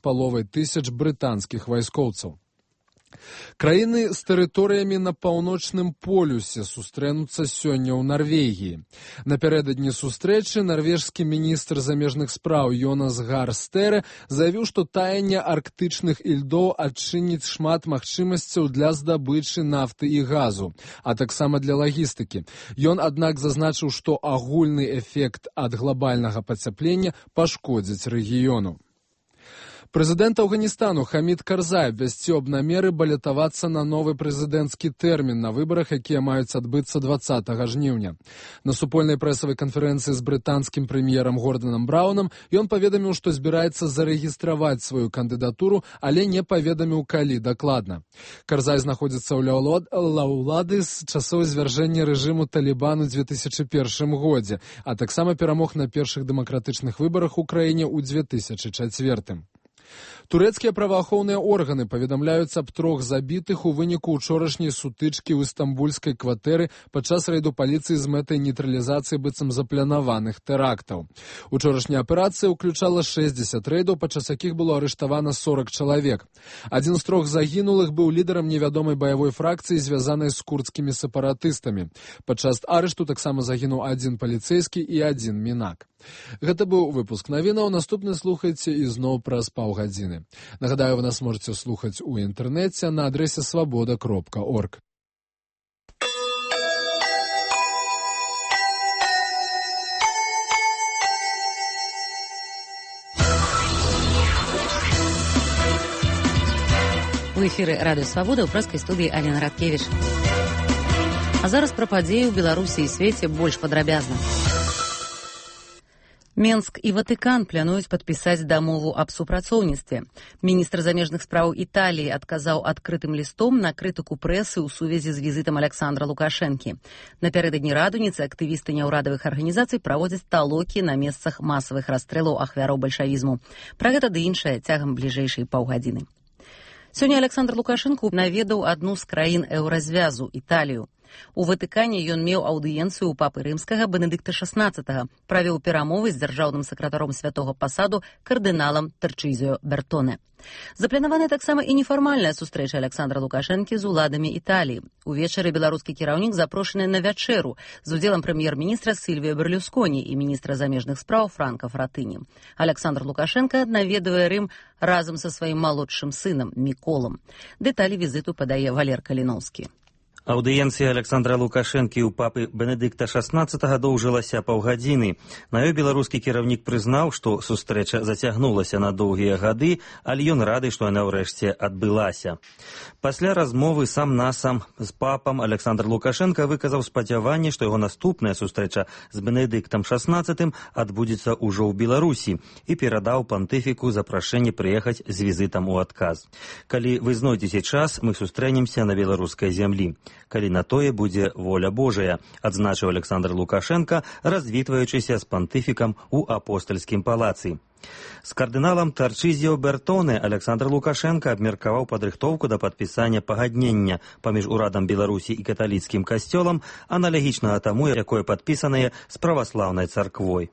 тысяч брытанскіх вайскоўцаў. Краіны з тэрыторыямі на паўночным полюсе сустрэнуцца сёння ў Нарвегіі. Напярэдадні сустрэчы нарвежскі міністр замежных спраў Йонас Гар Стэре заявіў, што таянне арктычных ільдоў адчыніць шмат магчымасцяў для здабычы нафты і газу, а таксама для лагістыкі. Ён, аднак, зазначыў, што агульны эфект ад глобальнага пацяплення пашкодзіць рэгіёну. Прэзідэнт Афганістану Хамід Карзай абвясціў аб намеры балятавацца на новы прэзідэнцкі тэрмін на выбарах, якія маюць адбыцца 20 жніўня. На супольнай прэсавай канферэнцыі з брытанскім прэм'ерам Горданам Браўнам ён паведаміў, што збіраецца зарэгістраваць сваю кандыдатуру, але не паведаміў, калі дакладна. Карзай знаходзіцца ў ўлады з часоў звяржэння рэжыму Талібан у 2001 годзе, а таксама перамог на першых дэмакратычных выбарах у краіне ў 2004. Турэцкія праваахоўныя органы паведамляюць аб 3 забітых у выніку ўчорашняй сутычкі ў істамбульскай кватэры падчас рэйду паліцыі з мэтай нейтралізацыі быццам запланаваных тэрактаў. Учорашняя аперацыя ўключала 60 рэйдаў, падчас якіх было арыштавана 40 чалавек. Адзін з 3 загінулых быў лідарам невядомай баявой фракцыі, звязанай з курдскімі сепаратыстамі. Падчас арышту таксама загінуў 1 паліцэйскі і 1 мінак. Гэта быў выпуск навінаў. Наступны слухайце ізноў праз паўгадзіны. Нагадаю, вы нас можете слухаць у інтэрнэце на адрэсе свабода.орг. У эфіры радыё «Свабода» ў праскай студыі Алена Радкевіч. А зараз пра падзеі ў Беларусі і свеце больш падрабязна. Менск і Ватыкан плануюць падпісаць дамову аб супрацоўніцтве. Міністр замежных спраў Італіі адказаў адкрытым лістом на крытыку прэсы ў сувязі з візітам Александра Лукашэнкі. Напярэдадні радуніцы актывісты няўрадавых арганізацый праводзяць талокі на месцах масавых расстрэлаў ахвяраў бальшавізму. Пра гэта ды іншае цягам бліжэйшай паўгадзіны. Сёння Александр Лукашэнка наведаў адну з краін еўразвязу – Італію. У Ватыкане ён меў аўдыенцыю ў папы рымскага Бенедыкта XVI, правёў перамовы з дзяржаўным сакратаром святога пасаду кардыналам Тарчызіо Бертоне. Запланаваная таксама і нефармальная сустрэча Александра Лукашэнкі з уладамі Італіі. Увечары беларускі кіраўнік запрошаны на вячэру з удзелам прэм'ер-міністра Сільвіа Берлюсконі і міністра замежных спраў Франка Фратыні. Александр Лукашенко наведвае Рым разам са сваім малодшым сынам Міколам. Дэталі візіту падае Валер Каліноўскі. Аўдыенцыя Александра Лукашэнкі ў папы Бенедыкта XVI доўжылася паўгадзіны. На ёй беларускі кіраўнік прызнаў, што сустрэча зацягнулася на доўгія гады, але ён рады, што яна ўрэшце адбылася. Пасля размовы сам-насам з папам Александр Лукашенко выказаў спадзяванне, што яго наступная сустрэча з Бенедыктам XVI адбудзецца ўжо ў Беларусі і перадаў пантыфіку запрашэнне прыехаць з візітам у адказ. Калі вы знойдзеце час, мы сустрэнемся на беларускай зямлі. Калі на тое будзе воля Божая, адзначыў Александр Лукашенко, развітваючыся з пантыфікам у апостальскім палацы. З кардыналам Тарчызіо Бертоне Александр Лукашенко абмеркаваў падрыхтоўку да падпісання пагаднення паміж урадам Беларусі і каталіцкім касцёлам, аналагічнага таму, якое падпісанае з праваслаўнай царквой.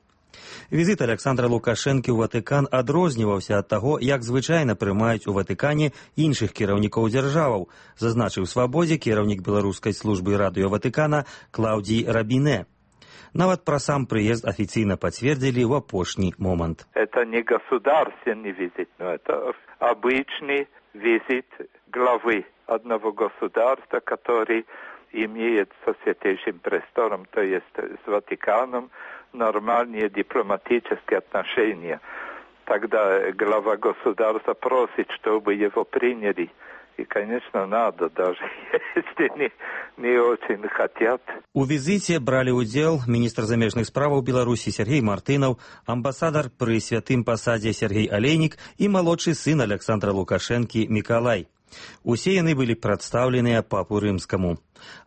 Візіт Александра Лукашэнкі ў Ватыкан адрозніваўся ад таго, як звычайна прымаюць у Ватыкане іншых кіраўнікоў дзяржаваў, зазначыў «Свабодзе» кіраўнік беларускай службы радыё Ватыкана Клаўдзій Рабіне. Нават пра сам прыезд афіцыйна пацвердзілі ў апошні момант. Это не государственный визит, но это обычный визит главы одного государства, который имеет со Святейшим Престолом, то есть с Ватиканом, нормальные дипломатические отношения. Тогда глава государства просит, чтобы его приняли. И, конечно, надо, даже если не очень хотят. У візіце бралі ўдзел міністр замежных справаў Беларусі Сергей Мартынаў, амбасадар пры святым пасадзе Сергей Алейнік і малодшы сын Александра Лукашэнкі Мікалай. Усе яны былі прадстаўленыя папу рымскаму.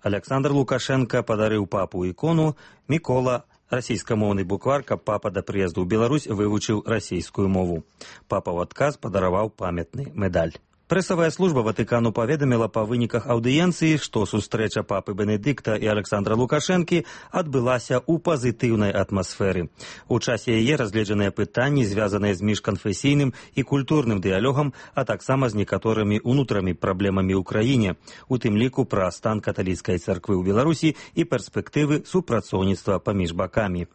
Александр Лукашенко падарыў папу ікону, Мікола расійскамоўны буквар, каб папа да прыезду ў Беларусь вывучыў расійскую мову. Папа ў адказ падараваў памятны медаль. Прэсавая служба Ватыкану паведаміла па выніках аўдыенцыі, што сустрэча папы Бенедыкта і Александра Лукашэнкі адбылася ў пазітыўнай атмасферы. У часе яе разгледжаныя пытанні, звязаныя з міжканфесійным і культурным дыялогам, а таксама з некаторымі ўнутранымі праблемамі ў краіне, у тым ліку пра стан каталіцкай царквы ў Беларусі і перспектывы супрацоўніцтва паміж бакамі.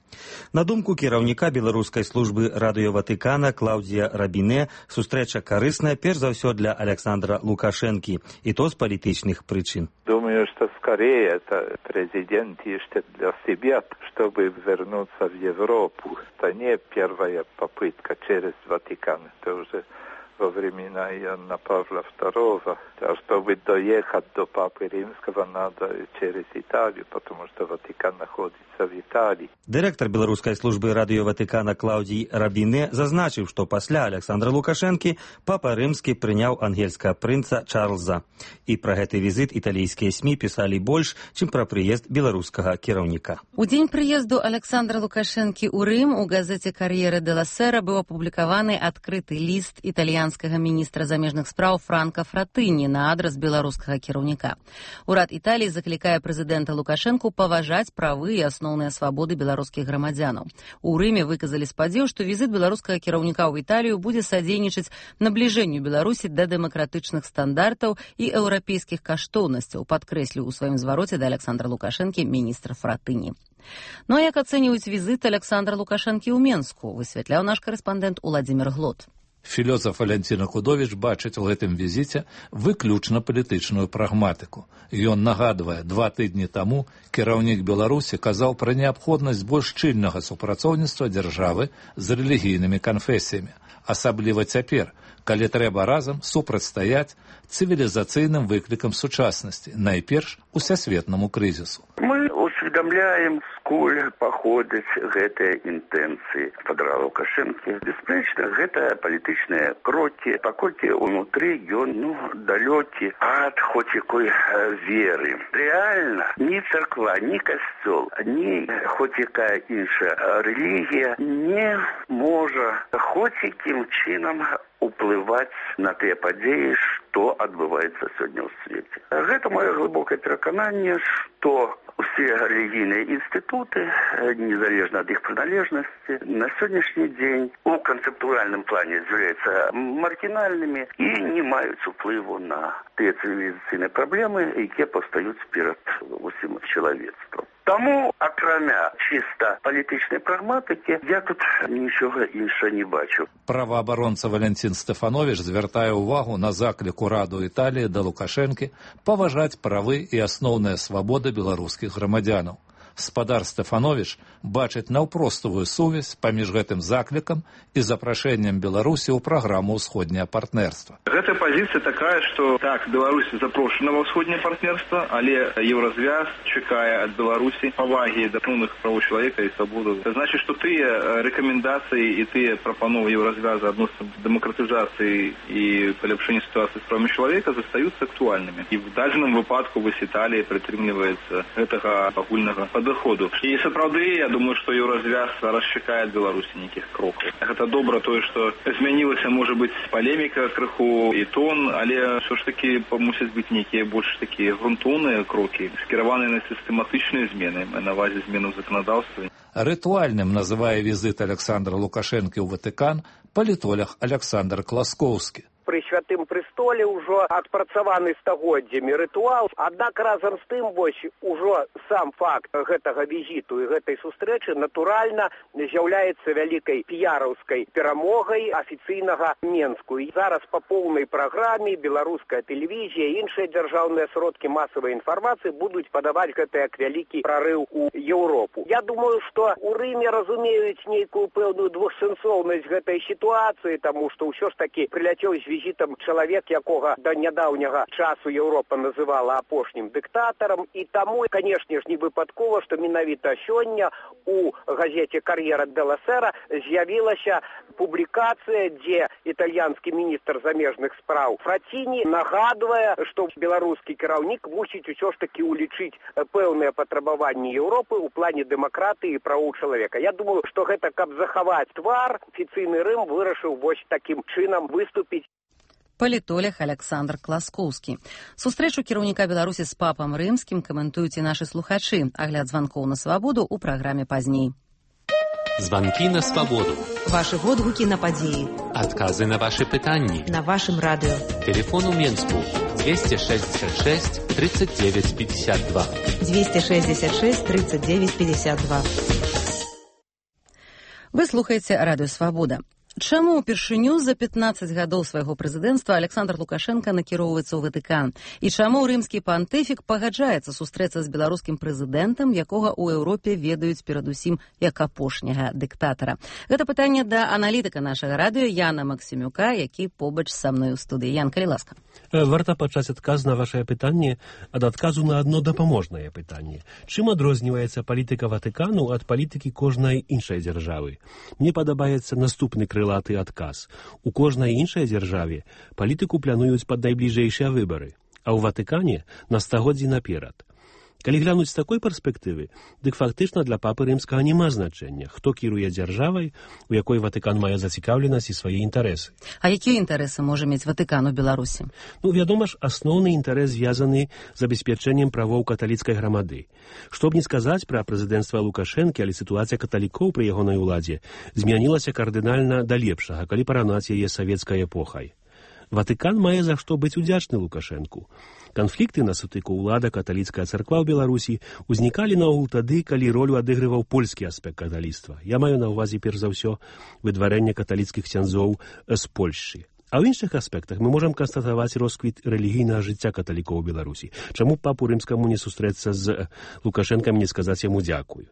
На думку кіраўніка беларускай службы радыё Ватыкана Клаўдзія Рабіне, сустрэча карысная перш за ўсё для Александра Лукашенки, и то с политических причин. Думаю, что скорее это президент ищет для себя, чтобы вернуться в Европу. Это не первая попытка через Ватикан, это уже во времена Иоанна Павла II. А чтобы доехать до Папы Римского, надо через Италию, потому что Ватикан находится в Италии. Директор беларускай службы радыё Ватыкана Клаўдзій Рабіне зазначыў, што пасля Александра Лукашэнкі Папа Рымскі прыняў ангельскага прынца Чарльза. І пра гэты візіт італійскія СМІ пісалі больш, чым пра прыезд беларускага кіраўніка. У дзень прыезду Александра Лукашэнкі ў Рым у газеце «Кар'ера де ла Сера» быў апублікаваны адкрыты ліст італьянскага міністра замежных спраў Франка Фратыні на адрас беларускага кіраўніка. Урад Італіі заклікае прэзідэнта Лукашэнку паважаць правы і асноўныя свабоды беларускіх грамадзянаў. У Рыме выказалі спадзеў, што візіт беларускага кіраўніка ў Італію будзе садзейнічаць набліжэнню Беларусі да дэмакратычных стандартаў і еўрапейскіх каштоўнасцяў, падкрэсліў у сваім звароце да Александра Лукашэнкі міністр Фратыні. Ну а як ацэньваюць візіт Александра Лукашэнкі ў Менску, высвятляў наш карэспандэнт Уладзімір Глот. Філёзаф Валянціна Худовіч бачыць у гэтым візіце выключна палітычную прагматыку. Ён нагадвае, 2 тыдні таму кіраўнік Беларусі казаў пра неабходнасць больш шчыльнага супрацоўніцтва дзяржавы з рэлігійнымі канфесіямі, асабліва цяпер, калі трэба разам супрацьстаяць цывілізацыйным выклікам сучаснасці, найперш усесветнаму крызісу. Мы усведомляем, сколь паходзяць гэтыя інтэнцыі Фадора Лукашэнкі. Бясспрэчна, гэта палітычныя крокі, паколькі ўнутры ён далёкі ад хоць якой веры. Рэальна, ні царква, ні касцёл, ні хоць якая іншая рэлігія не можа хоць якім чынам уплываць на тыя падзеі, што адбываецца сёння ў свеце. Гэта маё глыбокае перакананне, што усе рэлігійныя інстытуты, незалежна ад іх прыналежнасці, на сённяшні дзень у канцэптуальным плане з'яўляюцца маргінальнымі і не маюць уплыву на тыя цывілізацыйныя праблемы, якія паўстаюць перад усім чалавецтвам. Таму, акрамя чыста палітычнай прагматыкі, я тут нічога іншага не бачу. Праваабаронца Валентин Стефанович звяртае ўвагу на заклік ураду Італіі да Лукашэнкі паважаць правы і асноўныя свабоды беларускіх грамадзянаў. Спадар Стефанович бачыць наўпростовую сувязь паміж гэтым заклікам і запрашэннем Беларусі ў праграму ўсходняе партнерства. Гэта пазіцыя такая, што так, Беларусь запрошана ва ўсходняе партнерства, але Еўразвяз чакае ад Беларусі павагі да асноўных правоў чалавека і свабоду. Це значыць, што тыя рэкамендацыі і тыя прапановы Еўразвяза адносна дэмакратызацыі і паляпшэння сітуацыі з правамі чалавека застаюцца актуальнымі. І в дадзеным выпадку вось Італія прытрымліваецца гэтага агульнага доходу. І сапраўды, я думаю, што Еўразвяз зараз чакае ад Беларусі нейкіх крокаў. Гэта добра тое, што змянілася, можа быць, палеміка крыху і тон, але ўсё ж такі мусяць быць нейкія больш такія грунтоўныя крокі, скіраваныя на сістэматычныя змены, на базе зменаў заканадаўства. Рытуальным называе візит Александра Лукашэнкі ў Ватыкан палітолог Александр Класкоўскі. Пры святым престоле ўжо адпрацаваны стагоддзямі рытуал, аднак разам з тым вось ужо сам факт гэтага візіту і гэтай сустрэчы натуральна з'яўляецца вялікай піяраўскай перамогай афіцыйнага Менску. І зараз па поўнай праграме беларуская тэлевізія і іншыя дзяржаўныя сродкі масавай інфармацыі будуць падаваць гэта як вялікі прарыў у Еўропу. Я думаю, што у Рыме разумеюць нейкую пэўную двухсэнсоўнасць гэтай сітуацыі, таму што ўсё ж такі прыляцеў з візітам чалавек, якога да нядаўняга часу Еўропа называла апошнім дыктатарам, і таму, канешне ж, не выпадкова, што менавіта сёння у газеце «Кар'ера делла Сера» з'явілася публікацыя, дзе італьянскі міністр замежных спраў Фраціні нагадвае, што беларускі кіраўнік мусіць усё ж такі улічыць пэўныя патрабаванні Еўропы ў плане дэмакратыі і правоў чалавека. Я думаю, што гэта, каб захаваць твар, афіцыйны Рым вырашыў вось такім чынам выступіць. Палітолог Александр Класкоўскі. Сустрэчу кіраўніка Беларусі з папам рымскім каментуюць і нашы слухачы. Агляд званкоў на свабоду ў праграме пазней. Званкі на свабоду. Вашы водгукі на падзеі. Адказы на вашы пытанні. На вашым радыё. Телефон у Менску 266 39 52. 266 39 52. Вы слухаеце радыё «Свабода». Чаму ўпершыню за 15 гадоў свайго прэзідэнцтва Александр Лукашенко накіроўваецца ў Ватыкан? І чаму рымскі пантыфік пагаджаецца сустрэцца з беларускім прэзідэнтам, якога ў Еўропе ведаюць перадусім як апошняга дыктатара? Гэта пытанне да аналітыка нашага радыё Яна Максімюка, які побач са мной у студыі. Ян, калі ласка. Варта пачаць адказ на вашае пытанне ад адказу на адно дапаможнае пытанне. Чым адрозніваецца палітыка Ватыкану ад палітыкі кожнай іншай дзяржавы? Мне падабаецца наступны крылаты адказ. У кожнай іншай дзяржаве палітыку плануюць пад найбліжэйшыя выбары, а ў Ватыкане на стагоддзі наперад. Калі глянуць з такой перспектывы, дык фактычна для папы рымскага няма значэння, хто кіруе дзяржавай, у якой Ватыкан мае зацікаўленасць і свае інтарэсы. А якія інтарэсы можа мець Ватыкан у Беларусі? Вядома ж, асноўны інтарэс звязаны з забеспячэннем правоў каталіцкай грамады. Што б не сказаць пра прэзідэнцтва Лукашэнкі, але сітуацыя каталікоў пры ягонай уладзе змянілася кардынальна да лепшага, калі параўнаць яе савецкай эпохай. Ватыкан мае за што быць удзячны Лукашэнку. Канфлікты на сутыку ўлада каталіцкая царква ў Беларусі ўзнікалі наогул тады, калі ролю адыгрываў польскі аспект каталіцтва. Я маю на ўвазе перш за ўсё выдварэнне каталіцкіх ксяндзоў з Польшчы. А ў іншых аспектах мы можам канстатаваць росквіт рэлігійнага жыцця каталікоў у Беларусі. Чаму папу рымскаму не сустрэцца з Лукашэнкам і не сказаць яму дзякую?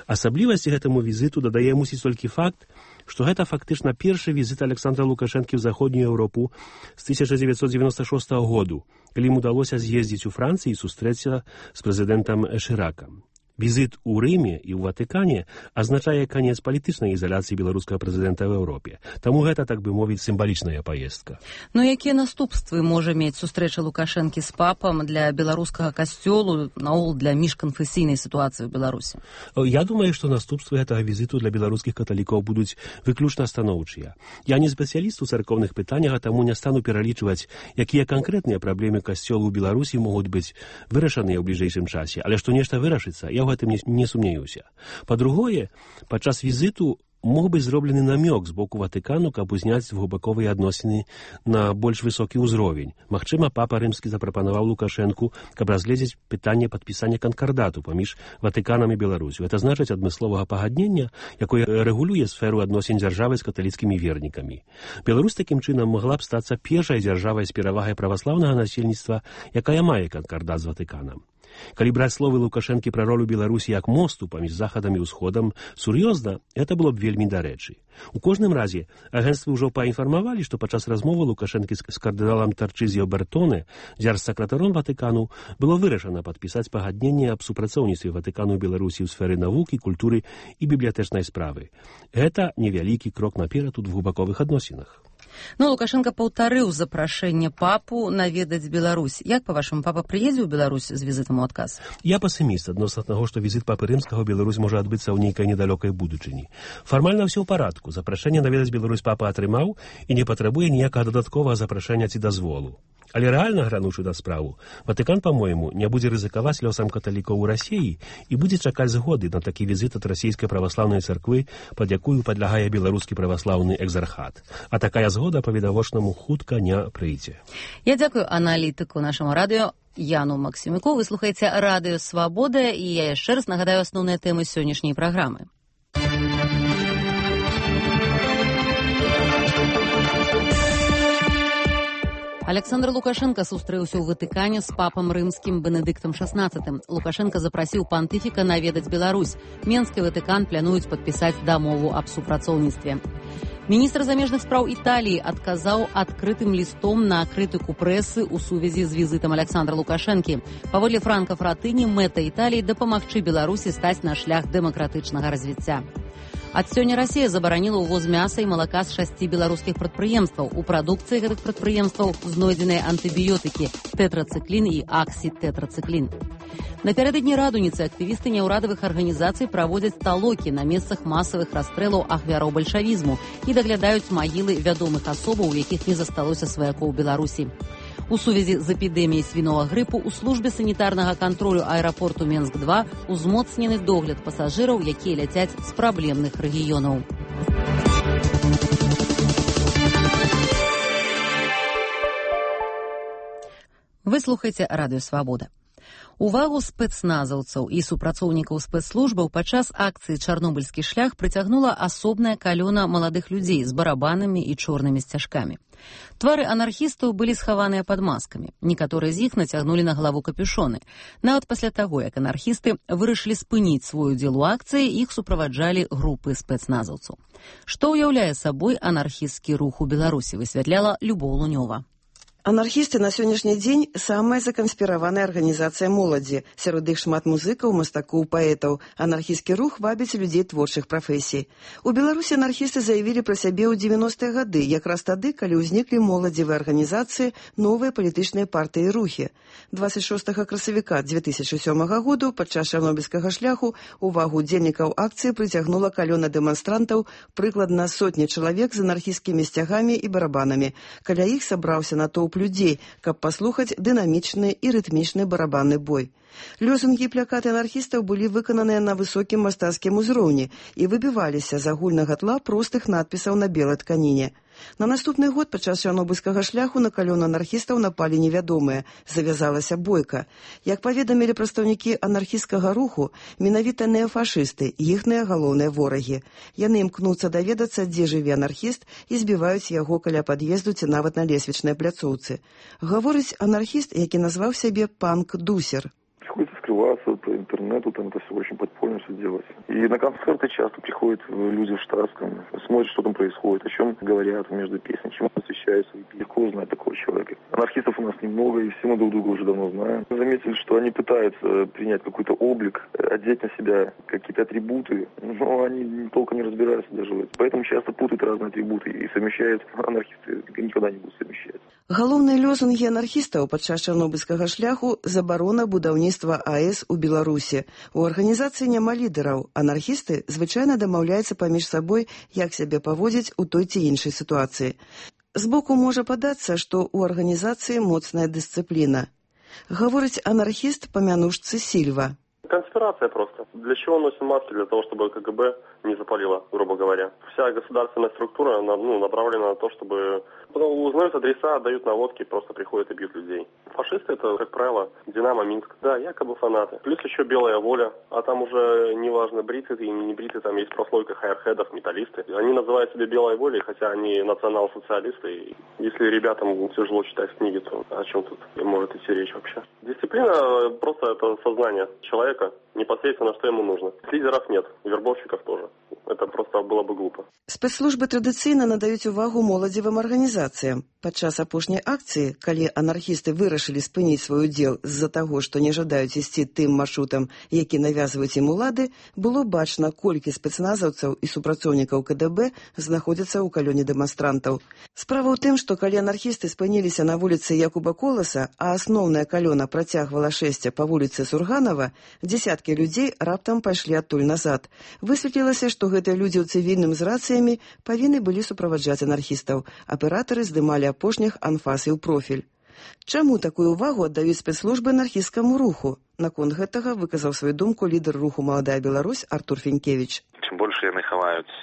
Асаблівасці гэтаму візіту дадае мусіць толькі факт, што гэта фактычна першы візіт Александра Лукашэнкі ў заходнюю Еўропу з 1996 году, калі ім удалося з'ездзіць у Францыі і сустрэцца з прэзідэнтам Шыракам. Візит у Рыме і ў Ватыкане азначае канец палітычнай ізаляцыі беларускага прэзідэнта ў Еўропе. Таму гэта, так бы мовіць, сімвалічная паездка. Но якія наступствы можа мець сустрэча Лукашэнкі з папам для беларускага касцёлу, наогул для міжканфесійнай сітуацыі ў Беларусі? Я думаю, што наступствы гэтага візіту для беларускіх каталікоў будуць выключна станоўчыя. Я не спецыяліст у царкоўных пытаннях, а таму не стану пералічваць, якія канкрэтныя праблемы касцёлу ў Беларусі могуць быць вырашаныя ў бліжэйшым часе, але што нешта вырашыцца, я ў гэтым не сумнеюся. Па-другое, падчас візіту мог быць зроблены намёк з боку Ватыкану, каб узняць двухбаковыя адносіны на больш высокі ўзровень. Магчыма, папа рымскі запрапанаваў Лукашэнку, каб разгледзець пытанне падпісання канкардату паміж Ватыканам і Беларусю. Гэта значыць адмысловага пагаднення, якое рэгулюе сферу адносін дзяржавы з каталіцкімі вернікамі. Беларусь такім чынам магла б стацца першай дзяржавай з перавагай праваслаўнага насельніцтва, якая мае канкардат з Ватыканам. Калі браць словы Лукашэнкі пра ролю Беларусі як мосту паміж захадам і ўсходам, сур'ёзна, гэта было б вельмі дарэчы. У кожным разе, агенцтвы ўжо паінфармавалі, што падчас размовы Лукашэнкі з кардыналам Тарчызіо Бертоне, дзяржсакратаром Ватыкану, было вырашана падпісаць пагадненне аб супрацоўніцтве Ватыкану і Беларусі ў сферы навукі, культуры і бібліятэчнай справы. Гэта невялікі крок наперад у двухбаковых адносінах. Ну, Лукашенко паўтарыў запрашэнне папу наведаць Беларусь. Як, па-вашаму, папа прыедзе ў Беларусь з візітам у адказ? Я пасіміст адносна таго, што візіт папы рымскага ў Беларусь можа адбыцца ў нейкай недалёкай будучыні. Фармальна ўсё ў парадку. Запрашэнне наведаць Беларусь папа атрымаў і не патрабуе ніякага дадатковага запрашэння ці дазволу. Але рэальна грануўшы да справу, Ватыкан, па-мойму, не будзе рызыкаваць лёсам каталікоў у Расіі і будзе чакаць згоды на такі візіт ад расійскай праваслаўнай царквы, пад якую падлягае беларускі праваслаўны экзархат. А такая згода па-відавочнаму хутка не прыйдзе. Я дзякую аналітыку нашаму радыё Яну Максімюку. Вы слухаеце радыё «Свабода», і я яшчэ раз нагадаю асноўныя тэмы сённяшняй праграмы. Александр Лукашенко сустрэўся ў Ватыкане з папам рымскім Бенедыктам XVI. Лукашенко запрасіў пантыфіка наведаць Беларусь. Менск і Ватыкан плануюць падпісаць дамову аб супрацоўніцтве. Міністр замежных спраў Італіі адказаў адкрытым лістом на крытыку прэсы ў сувязі з візітам Александра Лукашэнкі. Паводле Франка Фратыні, мэта Італіі дапамагчы Беларусі стаць на шлях дэмакратычнага развіцця. Ад сёння Расія забараніла ўвоз мяса і малака з 6 беларускіх прадпрыемстваў. У прадукцыі гэтых прадпрыемстваў знойдзеныя антыбіётыкі тэтрацыклін і аксітэтрацыклін. Напярэдадні радуніцы актывісты няўрадавых арганізацый праводзяць талокі на месцах масавых расстрэлаў ахвяраў бальшавізму і даглядаюць магілы вядомых асобаў, у якіх не засталося сваякоў Беларусі. У сувязі з эпідэміяй свіновага грыпу ў службе санітарнага кантролю аэрапорту Менск-2 узмоцнены догляд пасажыраў, якія ляцяць з праблемных рэгіёнаў. Вы слухаеце радыё «Свабода». Увагу спецназаўцаў і супрацоўнікаў спецслужбаў падчас акцыі «Чарнобыльскі шлях» прыцягнула асобная калёна маладых людзей з барабанамі і чорнымі сцяжкамі. Твары анархістаў былі схаваныя пад маскамі. Некаторыя з іх нацягнулі на галаву капюшоны. Нават пасля таго, як анархісты вырашылі спыніць свой удзел у акцыі, іх суправаджалі групы спецназаўцаў. Што ўяўляе сабой анархісцкі рух у Беларусі, высвятляла Любоў Лунёва. Анархісты на сённяшні дзень самая заканспіраваная арганізацыя моладзі. Сярод іх шмат музыкаў, мастакоў, паэтаў. Анархісцкі рух вабіць людзей творчых прафесій. У Беларусі анархісты заявілі пра сябе ў 90-е гады, якраз тады, калі ўзніклі моладзевыя арганізацыі, новыя палітычныя партыі і рухі. 26 красавіка 2007 году падчас чарнобыльскага шляху увагу удзельнікаў акцыі прыцягнула калёна дэманстрантаў, прыкладна сотні чалавек з анархісцкімі сцягамі і барабанамі. Каля іх сабраўся натоўп людзей, каб паслухаць дынамічны і рытмічны барабанны бой. Лёсунгі і плакаты анархістаў былі выкананыя на высокім мастацкім узроўні і выбіваліся з агульнага тла простых надпісаў на белай тканіне. На наступны год падчас чарнобыльскага шляху на калёну анархістаў напалі невядомыя. Завязалася бойка. Як паведамілі прадстаўнікі анархісцкага руху, менавіта неафашысты, іхныя галоўныя ворагі. Яны імкнуцца даведацца, дзе жыве анархіст, і збіваюць яго каля пад'езду ці нават на лесвічнай пляцоўцы. Гаворыць анархіст, які назваў сябе панк-дусер. Приходится скрываться по интернету, там это все очень подпольно все делается. И на концерты часто приходят люди в штатском, смотрят, что там происходит, о чем говорят между песнями, чему посвящают. встречаются. Легко узнать такого человека. Анархистов у нас немного, и все мы друг друга уже давно знаем. Мы заметили, что они пытаются принять какой-то облик, одеть на себя какие-то атрибуты, но они толком не разбираются даже в этом. Поэтому часто путают разные атрибуты и совмещают. Анархисты никогда не будут совмещать. Галоўныя лозунгі анархістаў падчас чарнобыльскага шляху – забарона будаўніцтва АЭС у Беларусі. У арганізацыі няма лідараў. Анархісты звычайна дамаўляюцца паміж сабой, як сябе паводзіць у той ці іншай сітуацыі. Збоку можа падацца, што ў арганізацыі моцная дысцыпліна. Гаворыць анархіст па мянушцы Сильва. Конспирация просто. Для чего носим маски? Для того, чтобы КГБ не запалило, грубо говоря. Вся государственная структура направлена на то, чтобы узнают адреса, отдают наводки, просто приходят и бьют людей. Фашисты — это, как правило, Динамо Минск. Да, якобы фанаты. Плюс еще белая воля, а там уже неважно, бриты ты или не бриты, там есть прослойка хайерхедов, металлисты. Они называют себя белой волей, хотя они национал-социалисты. И если ребятам тяжело читать книги, то о чем тут может идти речь вообще? Дисциплина просто это сознание человека, непосредственно, что ему нужно. Лидеров нет, вербовщиков тоже. Это просто было бы глупо. Спецслужбы традыцыйна надаюць увагу моладзевым арганізацыям. Падчас апошняй акцыі, калі анархісты вырашылі спыніць свой удзел з-за таго, што не жадаюць ісці тым маршрутам, які навязваюць ім улады, было бачна, колькі спецназаўцаў і супрацоўнікаў КДБ знаходзяцца ў калёне дэманстрантаў. Справа ў тым, што калі анархісты спыніліся на вуліцы Якуба Коласа, а асноўная калёна працягвала шэсце па вуліцы Сурганова, дзесяткі людзей раптам пайшлі адтуль назад. Высветлілася, што гэтыя людзі ў цывільным з рацыямі павінны былі суправаджаць анархістаў. Аператары здымалі апошніх анфас і ў профіль. Чаму такую ўвагу аддаюць спецслужбы анархісцкаму руху? Наконт гэтага выказаў сваю думку лідар руху «Маладая Беларусь» Артур Фенькевич. Чым больш яны хаваюць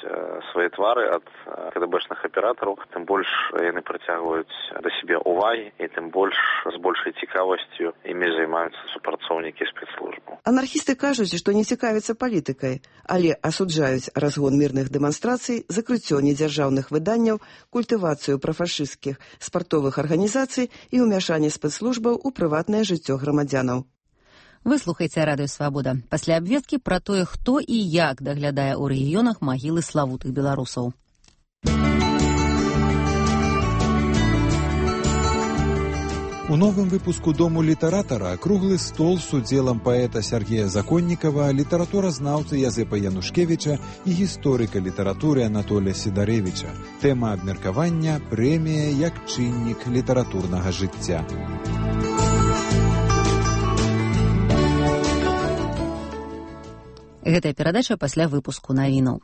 свае твары ад КДБшных аператараў, тым больш яны прыцягваюць да сябе ўвагі, і тым больш з большай цікавасцю імі займаюцца супрацоўнікі спецслужбаў. Анархісты кажуць, што не цікавяцца палітыкай, але асуджаюць разгон мірных дэманстрацый, закрыццё недзяржаўных выданняў, культывацыю прафашысцкіх спартовых арганізацый і ўмяшанне спецслужбаў у прыватнае жыццё грамадзянаў. Вы слухаеце Радыё Свабода. Пасля абвесткі пра тое, хто і як даглядае ў рэгіёнах магілы славутых беларусаў. У новым выпуску «Дому літаратара» круглы стол з удзелам паэта Сергея Законнікава, літаратуразнаўцы Язэпа Янушкевіча і гісторыка літаратуры Анатолія Сідарэвіча. Тэма абмеркавання – прэмія як чыннік літаратурнага жыцця. Гэтая перадача пасля выпуску навінаў.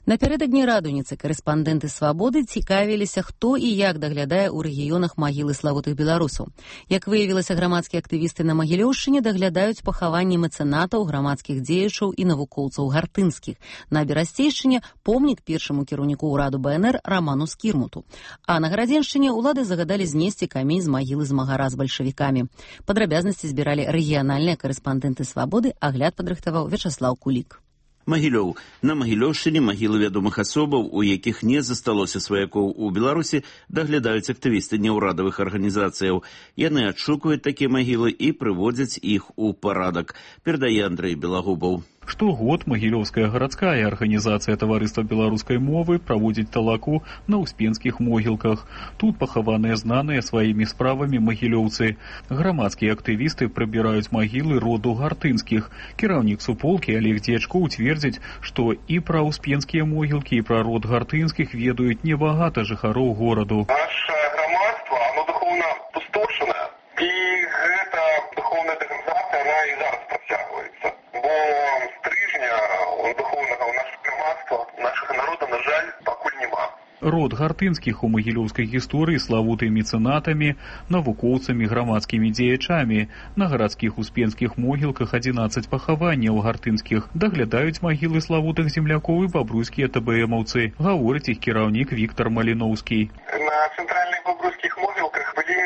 Напярэдадні радуніцы карэспандэнты «Свабоды» цікавіліся, хто і як даглядае ў рэгіёнах магілы славутых беларусаў. Як выявілася, грамадскія актывісты на Магілёўшчыне даглядаюць пахаванні мэцэнатаў, грамадскіх дзеячаў і навукоўцаў гартынскіх. На Берасцейшчыне помнік першаму кіраўніку ўраду БНР Раману Скірмуту. А на Гарадзеншчыне ўлады загадалі знесці камень з магілы змагара з бальшавікамі. Падрабязнасці збіралі рэгіянальныя карэспандэнты «Свабоды», агляд падрыхтаваў Вячаслаў Кулік. Магілёў. На Магілёўшчыне магілы вядомых асобаў, у якіх не засталося сваякоў у Беларусі, даглядаюць актывісты неўрадавых арганізацыяў. Яны адшукваюць такія магілы і прыводзяць іх у парадак. Перадае Андрэй Белагубаў. Штогод Магілёўская гарадская арганізацыя таварыства беларускай мовы праводзіць талаку на ўспенскіх могілках. Тут пахаваныя знаныя сваімі справамі магілёўцы. Грамадскія актывісты прыбіраюць магілы роду гартынскіх. Кіраўнік суполкі Олег Дзечко уцвердзіць, што і пра ўспенскія могілкі, і пра род гартынскіх ведаюць небагата жыхароў гораду. Наше грамадства, оно духовна пустошана, і гэта духовная дэградацыя, она і зараз працягваецца. Бо стрижня духовнага ў нашых грамадства, нашага народа, на жаль, пакуль няма. Род гартынскіх у магілёўскай гісторыі славуты мецэнатамі, навукоўцамі, грамадскімі дзеячамі. На гарадскіх успенскіх могілках 11 пахаванняў гартынскіх. Даглядаюць магілы славутых землякоў і бабруйскія ТБМаўцы. Гаворыць іх кіраўнік Віктор Маліноўскі. На цэнтральных бабруйскіх могілках былі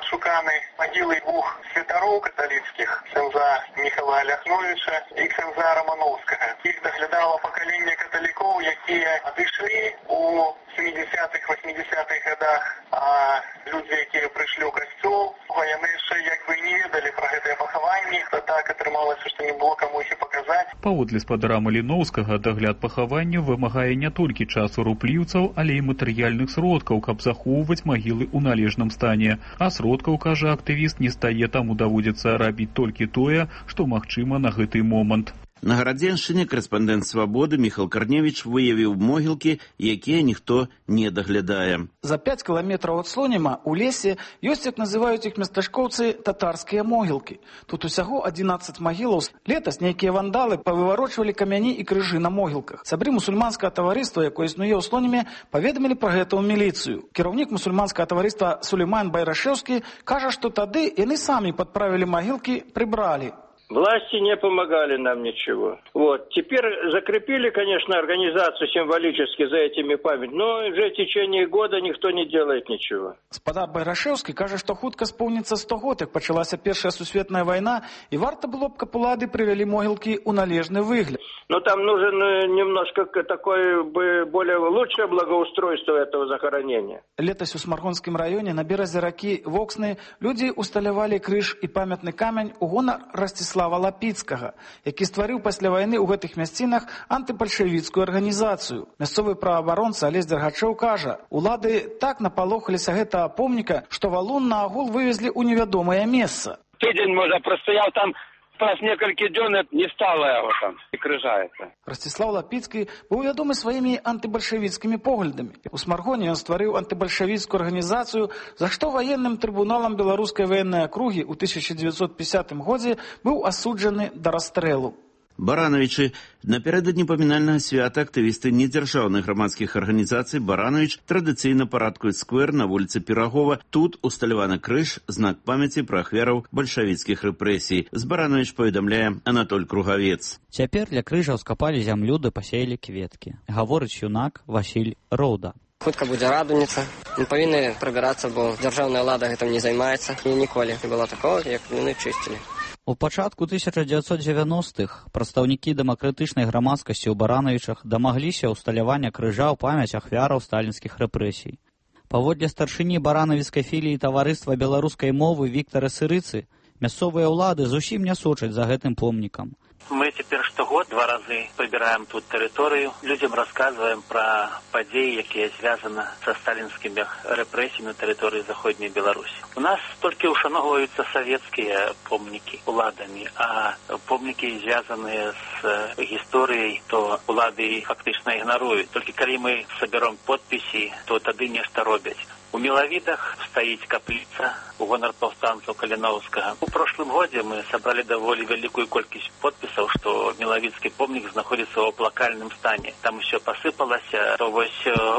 шуканы магілы двух святароў каталіцкіх, ксяндза Міхала Ляхновіча і ксяндза Рамановскага. Іх даглядала пакаленне каталікоў, якія адышлі у 70-х, 80-х годах, а людзі, якія прыйшлі ў касцёл, яны яшчэ як бы не ведалі пра гэтыя пахаванні, то так атрымалася, што не было каму іх і паказаць. Паводле спадара Маліноўскага, дагляд пахавання вымагае не толькі часу рупліўцаў, але і матэрыяльных сродкаў, каб захоўваць магілы ў належным стане. А сродкаў, кажа актывіст, не стае, таму даводзіцца рабіць толькі тое, што магчыма на гэты момант. На Гарадзеншчыне корэспандэнт «Свабоды» Міхал Карневіч выявіў могілкі, якія ніхто не даглядае. За 5 кіламетраў ад Слоніма у лесе ёсць, як называюць іх местачкоўцы, татарскія могілкі. Тут усяго 11 магілаў. Летась нейкія вандалы павыварочвалі камяні і крыжы на могілках. Сябры мусульманскага таварыства, якое існуе ў Слоніме, паведамілі пра гэта ў міліцыю. Кіраўнік мусульманскага таварыства Сулейман Байрашеўскі кажа, што тады яны самі падправілі магілкі, прыбралі. Власти не помогали нам ничего. Вот. Теперь закрепили, конечно, организацию символически за этими памятниками, но уже в течение года никто не делает ничего. Спадар Байрашеўскі кажа, што хутка споўніцца 100 год, як пачалася Першая сусветная вайна, і варта было б, каб улады прывялі могілкі ў належны выгляд. Но там нужен немножко такое более лучшее благоустройство этого захоронения. Летась у Смаргонскім раёне на беразе ракі Воксны людзі усталявалі крыж і памятны камень у гонар Ростислава Лапіцкага, які стварыў пасля вайны ў гэтых мясцінах антыбальшавіцкую арганізацыю. Мясцовы праваабаронца Алесь Дергачоў кажа, улады так напалохаліся гэтага помніка, што валун на агул вывезлі ў невядомае месца. Тыдзень, можа, прастаяў там праз некалькі дзён, не стала яго там і крыжаецца. Ростислав Лапіцкі быў вядомы сваімі антыбальшавіцкімі поглядамі. У Смаргоне ён стварыў антыбальшавіцкую арганізацыю, за што ваенным трыбуналам беларускай ваеннай акругі ў 1950 годзе быў асуджаны да расстрэлу. Барановичы. Напярэдадні памінальнага свята актывісты недзяржаўных грамадскіх арганізацый Баранович традыцыйна парадкуюць сквер на вуліцы Пірагова. Тут усталяваны крыж, знак памяці пра ахвяраў бальшавіцкіх рэпрэсій. З Баранович паведамляе Анатоль Кругавец. Цяпер для крыжаў скапалі зямлю ды пасеялі кветкі. Гаворыць юнак Васіль Роўда. Хутка будзе радуніца. Мы павінны прабірацца, бо дзяржаўная ўлада гэтым не займаецца. І ніколі не было такого, як яны чысцілі. У пачатку 1990-х прадстаўнікі дэмакратычнай грамадскасці ў Барановічах дамагліся ўсталявання крыжа ў памяць ахвяраў сталінскіх рэпрэсій. Паводле старшыні баранавіцкай філіі таварыства беларускай мовы Віктара Сырыцы, мясцовыя ўлады зусім не сочаць за гэтым помнікам. Мы теперь штогод 2 разы прибираем тут территорию, людям рассказываем про подеи, якія звязаны со сталинскими репрессиями на территории Заходней Беларуси. У нас только ушановываются советские помники уладами, а помники, звязанные с историей, то улады фактично игноруют. Только когда мы соберем подписи, то тогда нечто робят. У Миловидах стоит каплица у гонор повстанцев Калиновского. В прошлом году мы собрали довольно великую колькость подписей, что Миловидский помник находится в плакальном стане. Там все посыпалось, то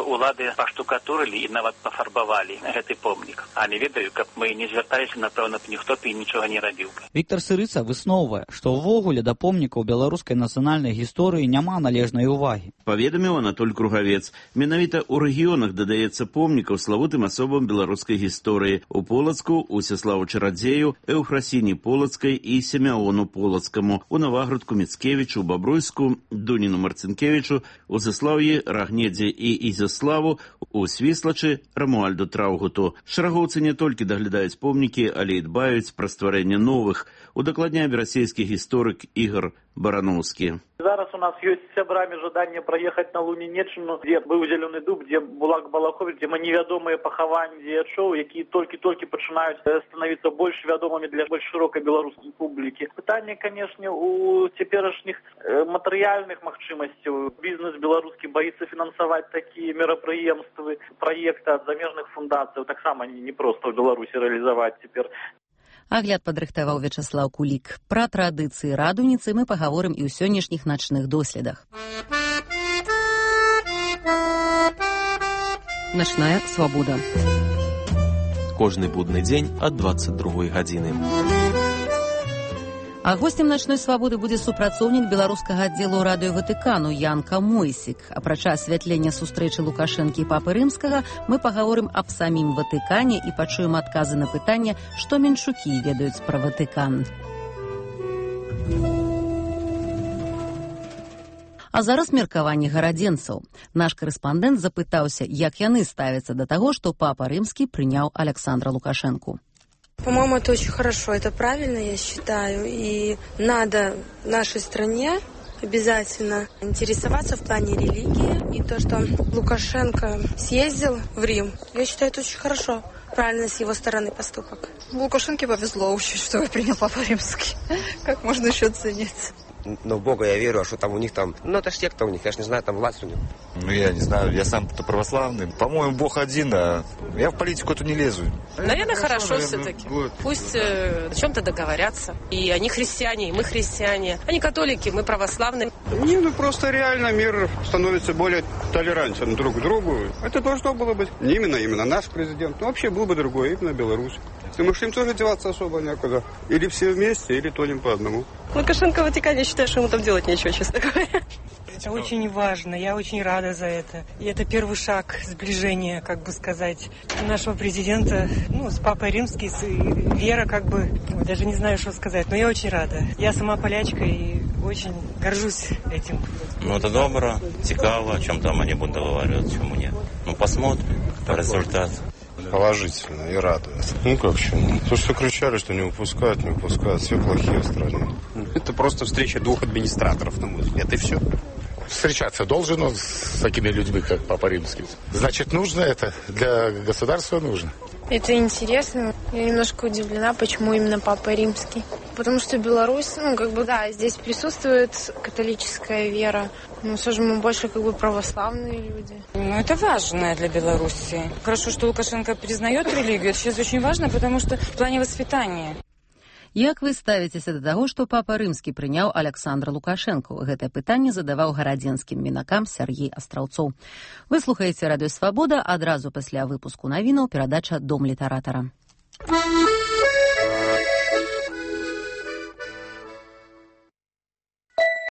улады поштукатурили и нават пофарбовали этот помник. А не ведаю, как мы не звертались, напевно, ніхто б і нічого не робив. Віктор Сырыца высновывае, што ўвогуле да помнікаў беларускай нацыянальнай гісторыі няма належнай увагі. Паведаміў Анатоль Кругавец. Менавіта ў рэгіёнах дадаецца помнікаў славутым асобам беларускай гісторыі. У Полацку, у Сяславу Чарадзею, Эўфрасіні Полацкай і Семяону Полацкаму, у Наваградку Міцкевічу, Бабруйску, Дуніну Марцінкевічу, у Заслаўі Рагнедзе і Ізяславу, у Свіслачы Рамуальду Траўгуту. Шарагоўцы не толькі даглядаюць помнікі, але і дбаюць пра стварэнне новых, удакладняе расійскі гісторык Ігор Барановскі. Зараз у нас есть с сябрами желание проехать на Лунинеччину, где был Зеленый Дуб, где Булак Балахович, где невядомые пахаванні дзеячоў, які толькі пачынаюць становиться больш вядомымі для больш широкой беларускай публікі. Пытанне, конечно, у цяперашніх матэрыяльных магчымасцяў. Бізнес беларускі боится фінансаваць такие мерапрыемствы, проекты от замежных фундацый. Таксама не просто в Беларусі реализовать теперь. Агляд падрыхтаваў Вячаслаў Кулік. Пра традыцыі радуніцы мы пагаворым і ў сённяшніх начных доследах. Начная свабода. Кожны будны дзень ад 22 гадзіны. А гостем начной свабоды будзе супрацоўнік беларускага аддзелу радыё Ватыкану Ян Камойсік. Апрача асвятлення сустрэчы Лукашэнкі і папы рымскага, мы пагаворым аб самім Ватыкане і пачуем адказы на пытанне, што меншукі ведаюць пра Ватыкан. А зараз меркаванне гарадзенцаў. Наш корэспандэнт запытаўся, як яны ставяцца да таго, што папа рымскі прыняў Александра Лукашэнку. По-моему, это очень хорошо, это правильно, я считаю, и надо нашей стране обязательно интересоваться в плане религии. И то, что Лукашенко съездил в Рим, я считаю, это очень хорошо. Правильно с его стороны поступок. Лукашенко повезло очень, что принял Папа Римский. Как можно еще цениться? Но в Бога я верю, а что там у них там... Ну, это ж секта у них, я ж не знаю, там власть у них. Ну, я не знаю, я сам-то православный. По-моему, Бог один, а я в политику эту не лезу. Наверное, хорошо все-таки. Пусть о чем-то договорятся. И они христиане, и мы христиане. Они католики, мы православные. Не, ну просто реально мир становится более толерантен друг к другу. Это должно было быть не именно наш президент, но вообще был бы другой, именно Беларусь. Думаешь, им тоже деваться особо некуда. Или все вместе, или тонем по одному. Лукашенко Ватикан, я считаю, что ему там делать нечего, честно говоря. Это очень важно, я очень рада за это. И это первый шаг сближения, как бы сказать, нашего президента, с Папой Римским, с Вера, как бы, даже не знаю, что сказать, но я очень рада. Я сама полячка и очень горжусь этим. Это добро, цікаво, о чем там они будут договариваться, чему нет. Посмотрим результат. Положительно и радует. Как еще? То, что кричали, что не выпускают, все плохие в стране. Это просто встреча двух администраторов, на мой взгляд, и все. Встречаться должен с такими людьми, как Папа Римский. Значит, нужно это, для государства нужно. Это интересно. Я немножко удивлена, почему именно Папа Римский. Потому что Беларусь, здесь присутствует католическая вера. Но все же мы больше православные люди. Это важно для Беларуси. Хорошо, что Лукашенко признает религию. Это сейчас очень важно, потому что в плане воспитания. Як вы ставіцеся да таго, што Папа Рымскі прыняў Аляксандра Лукашэнку? Гэтае пытанне задаваў гарадзенскім мінакам Сяргей Астраўцоў. Вы слухаеце радыё Свабода, адразу пасля выпуску навінаў перадача «Дом літаратара».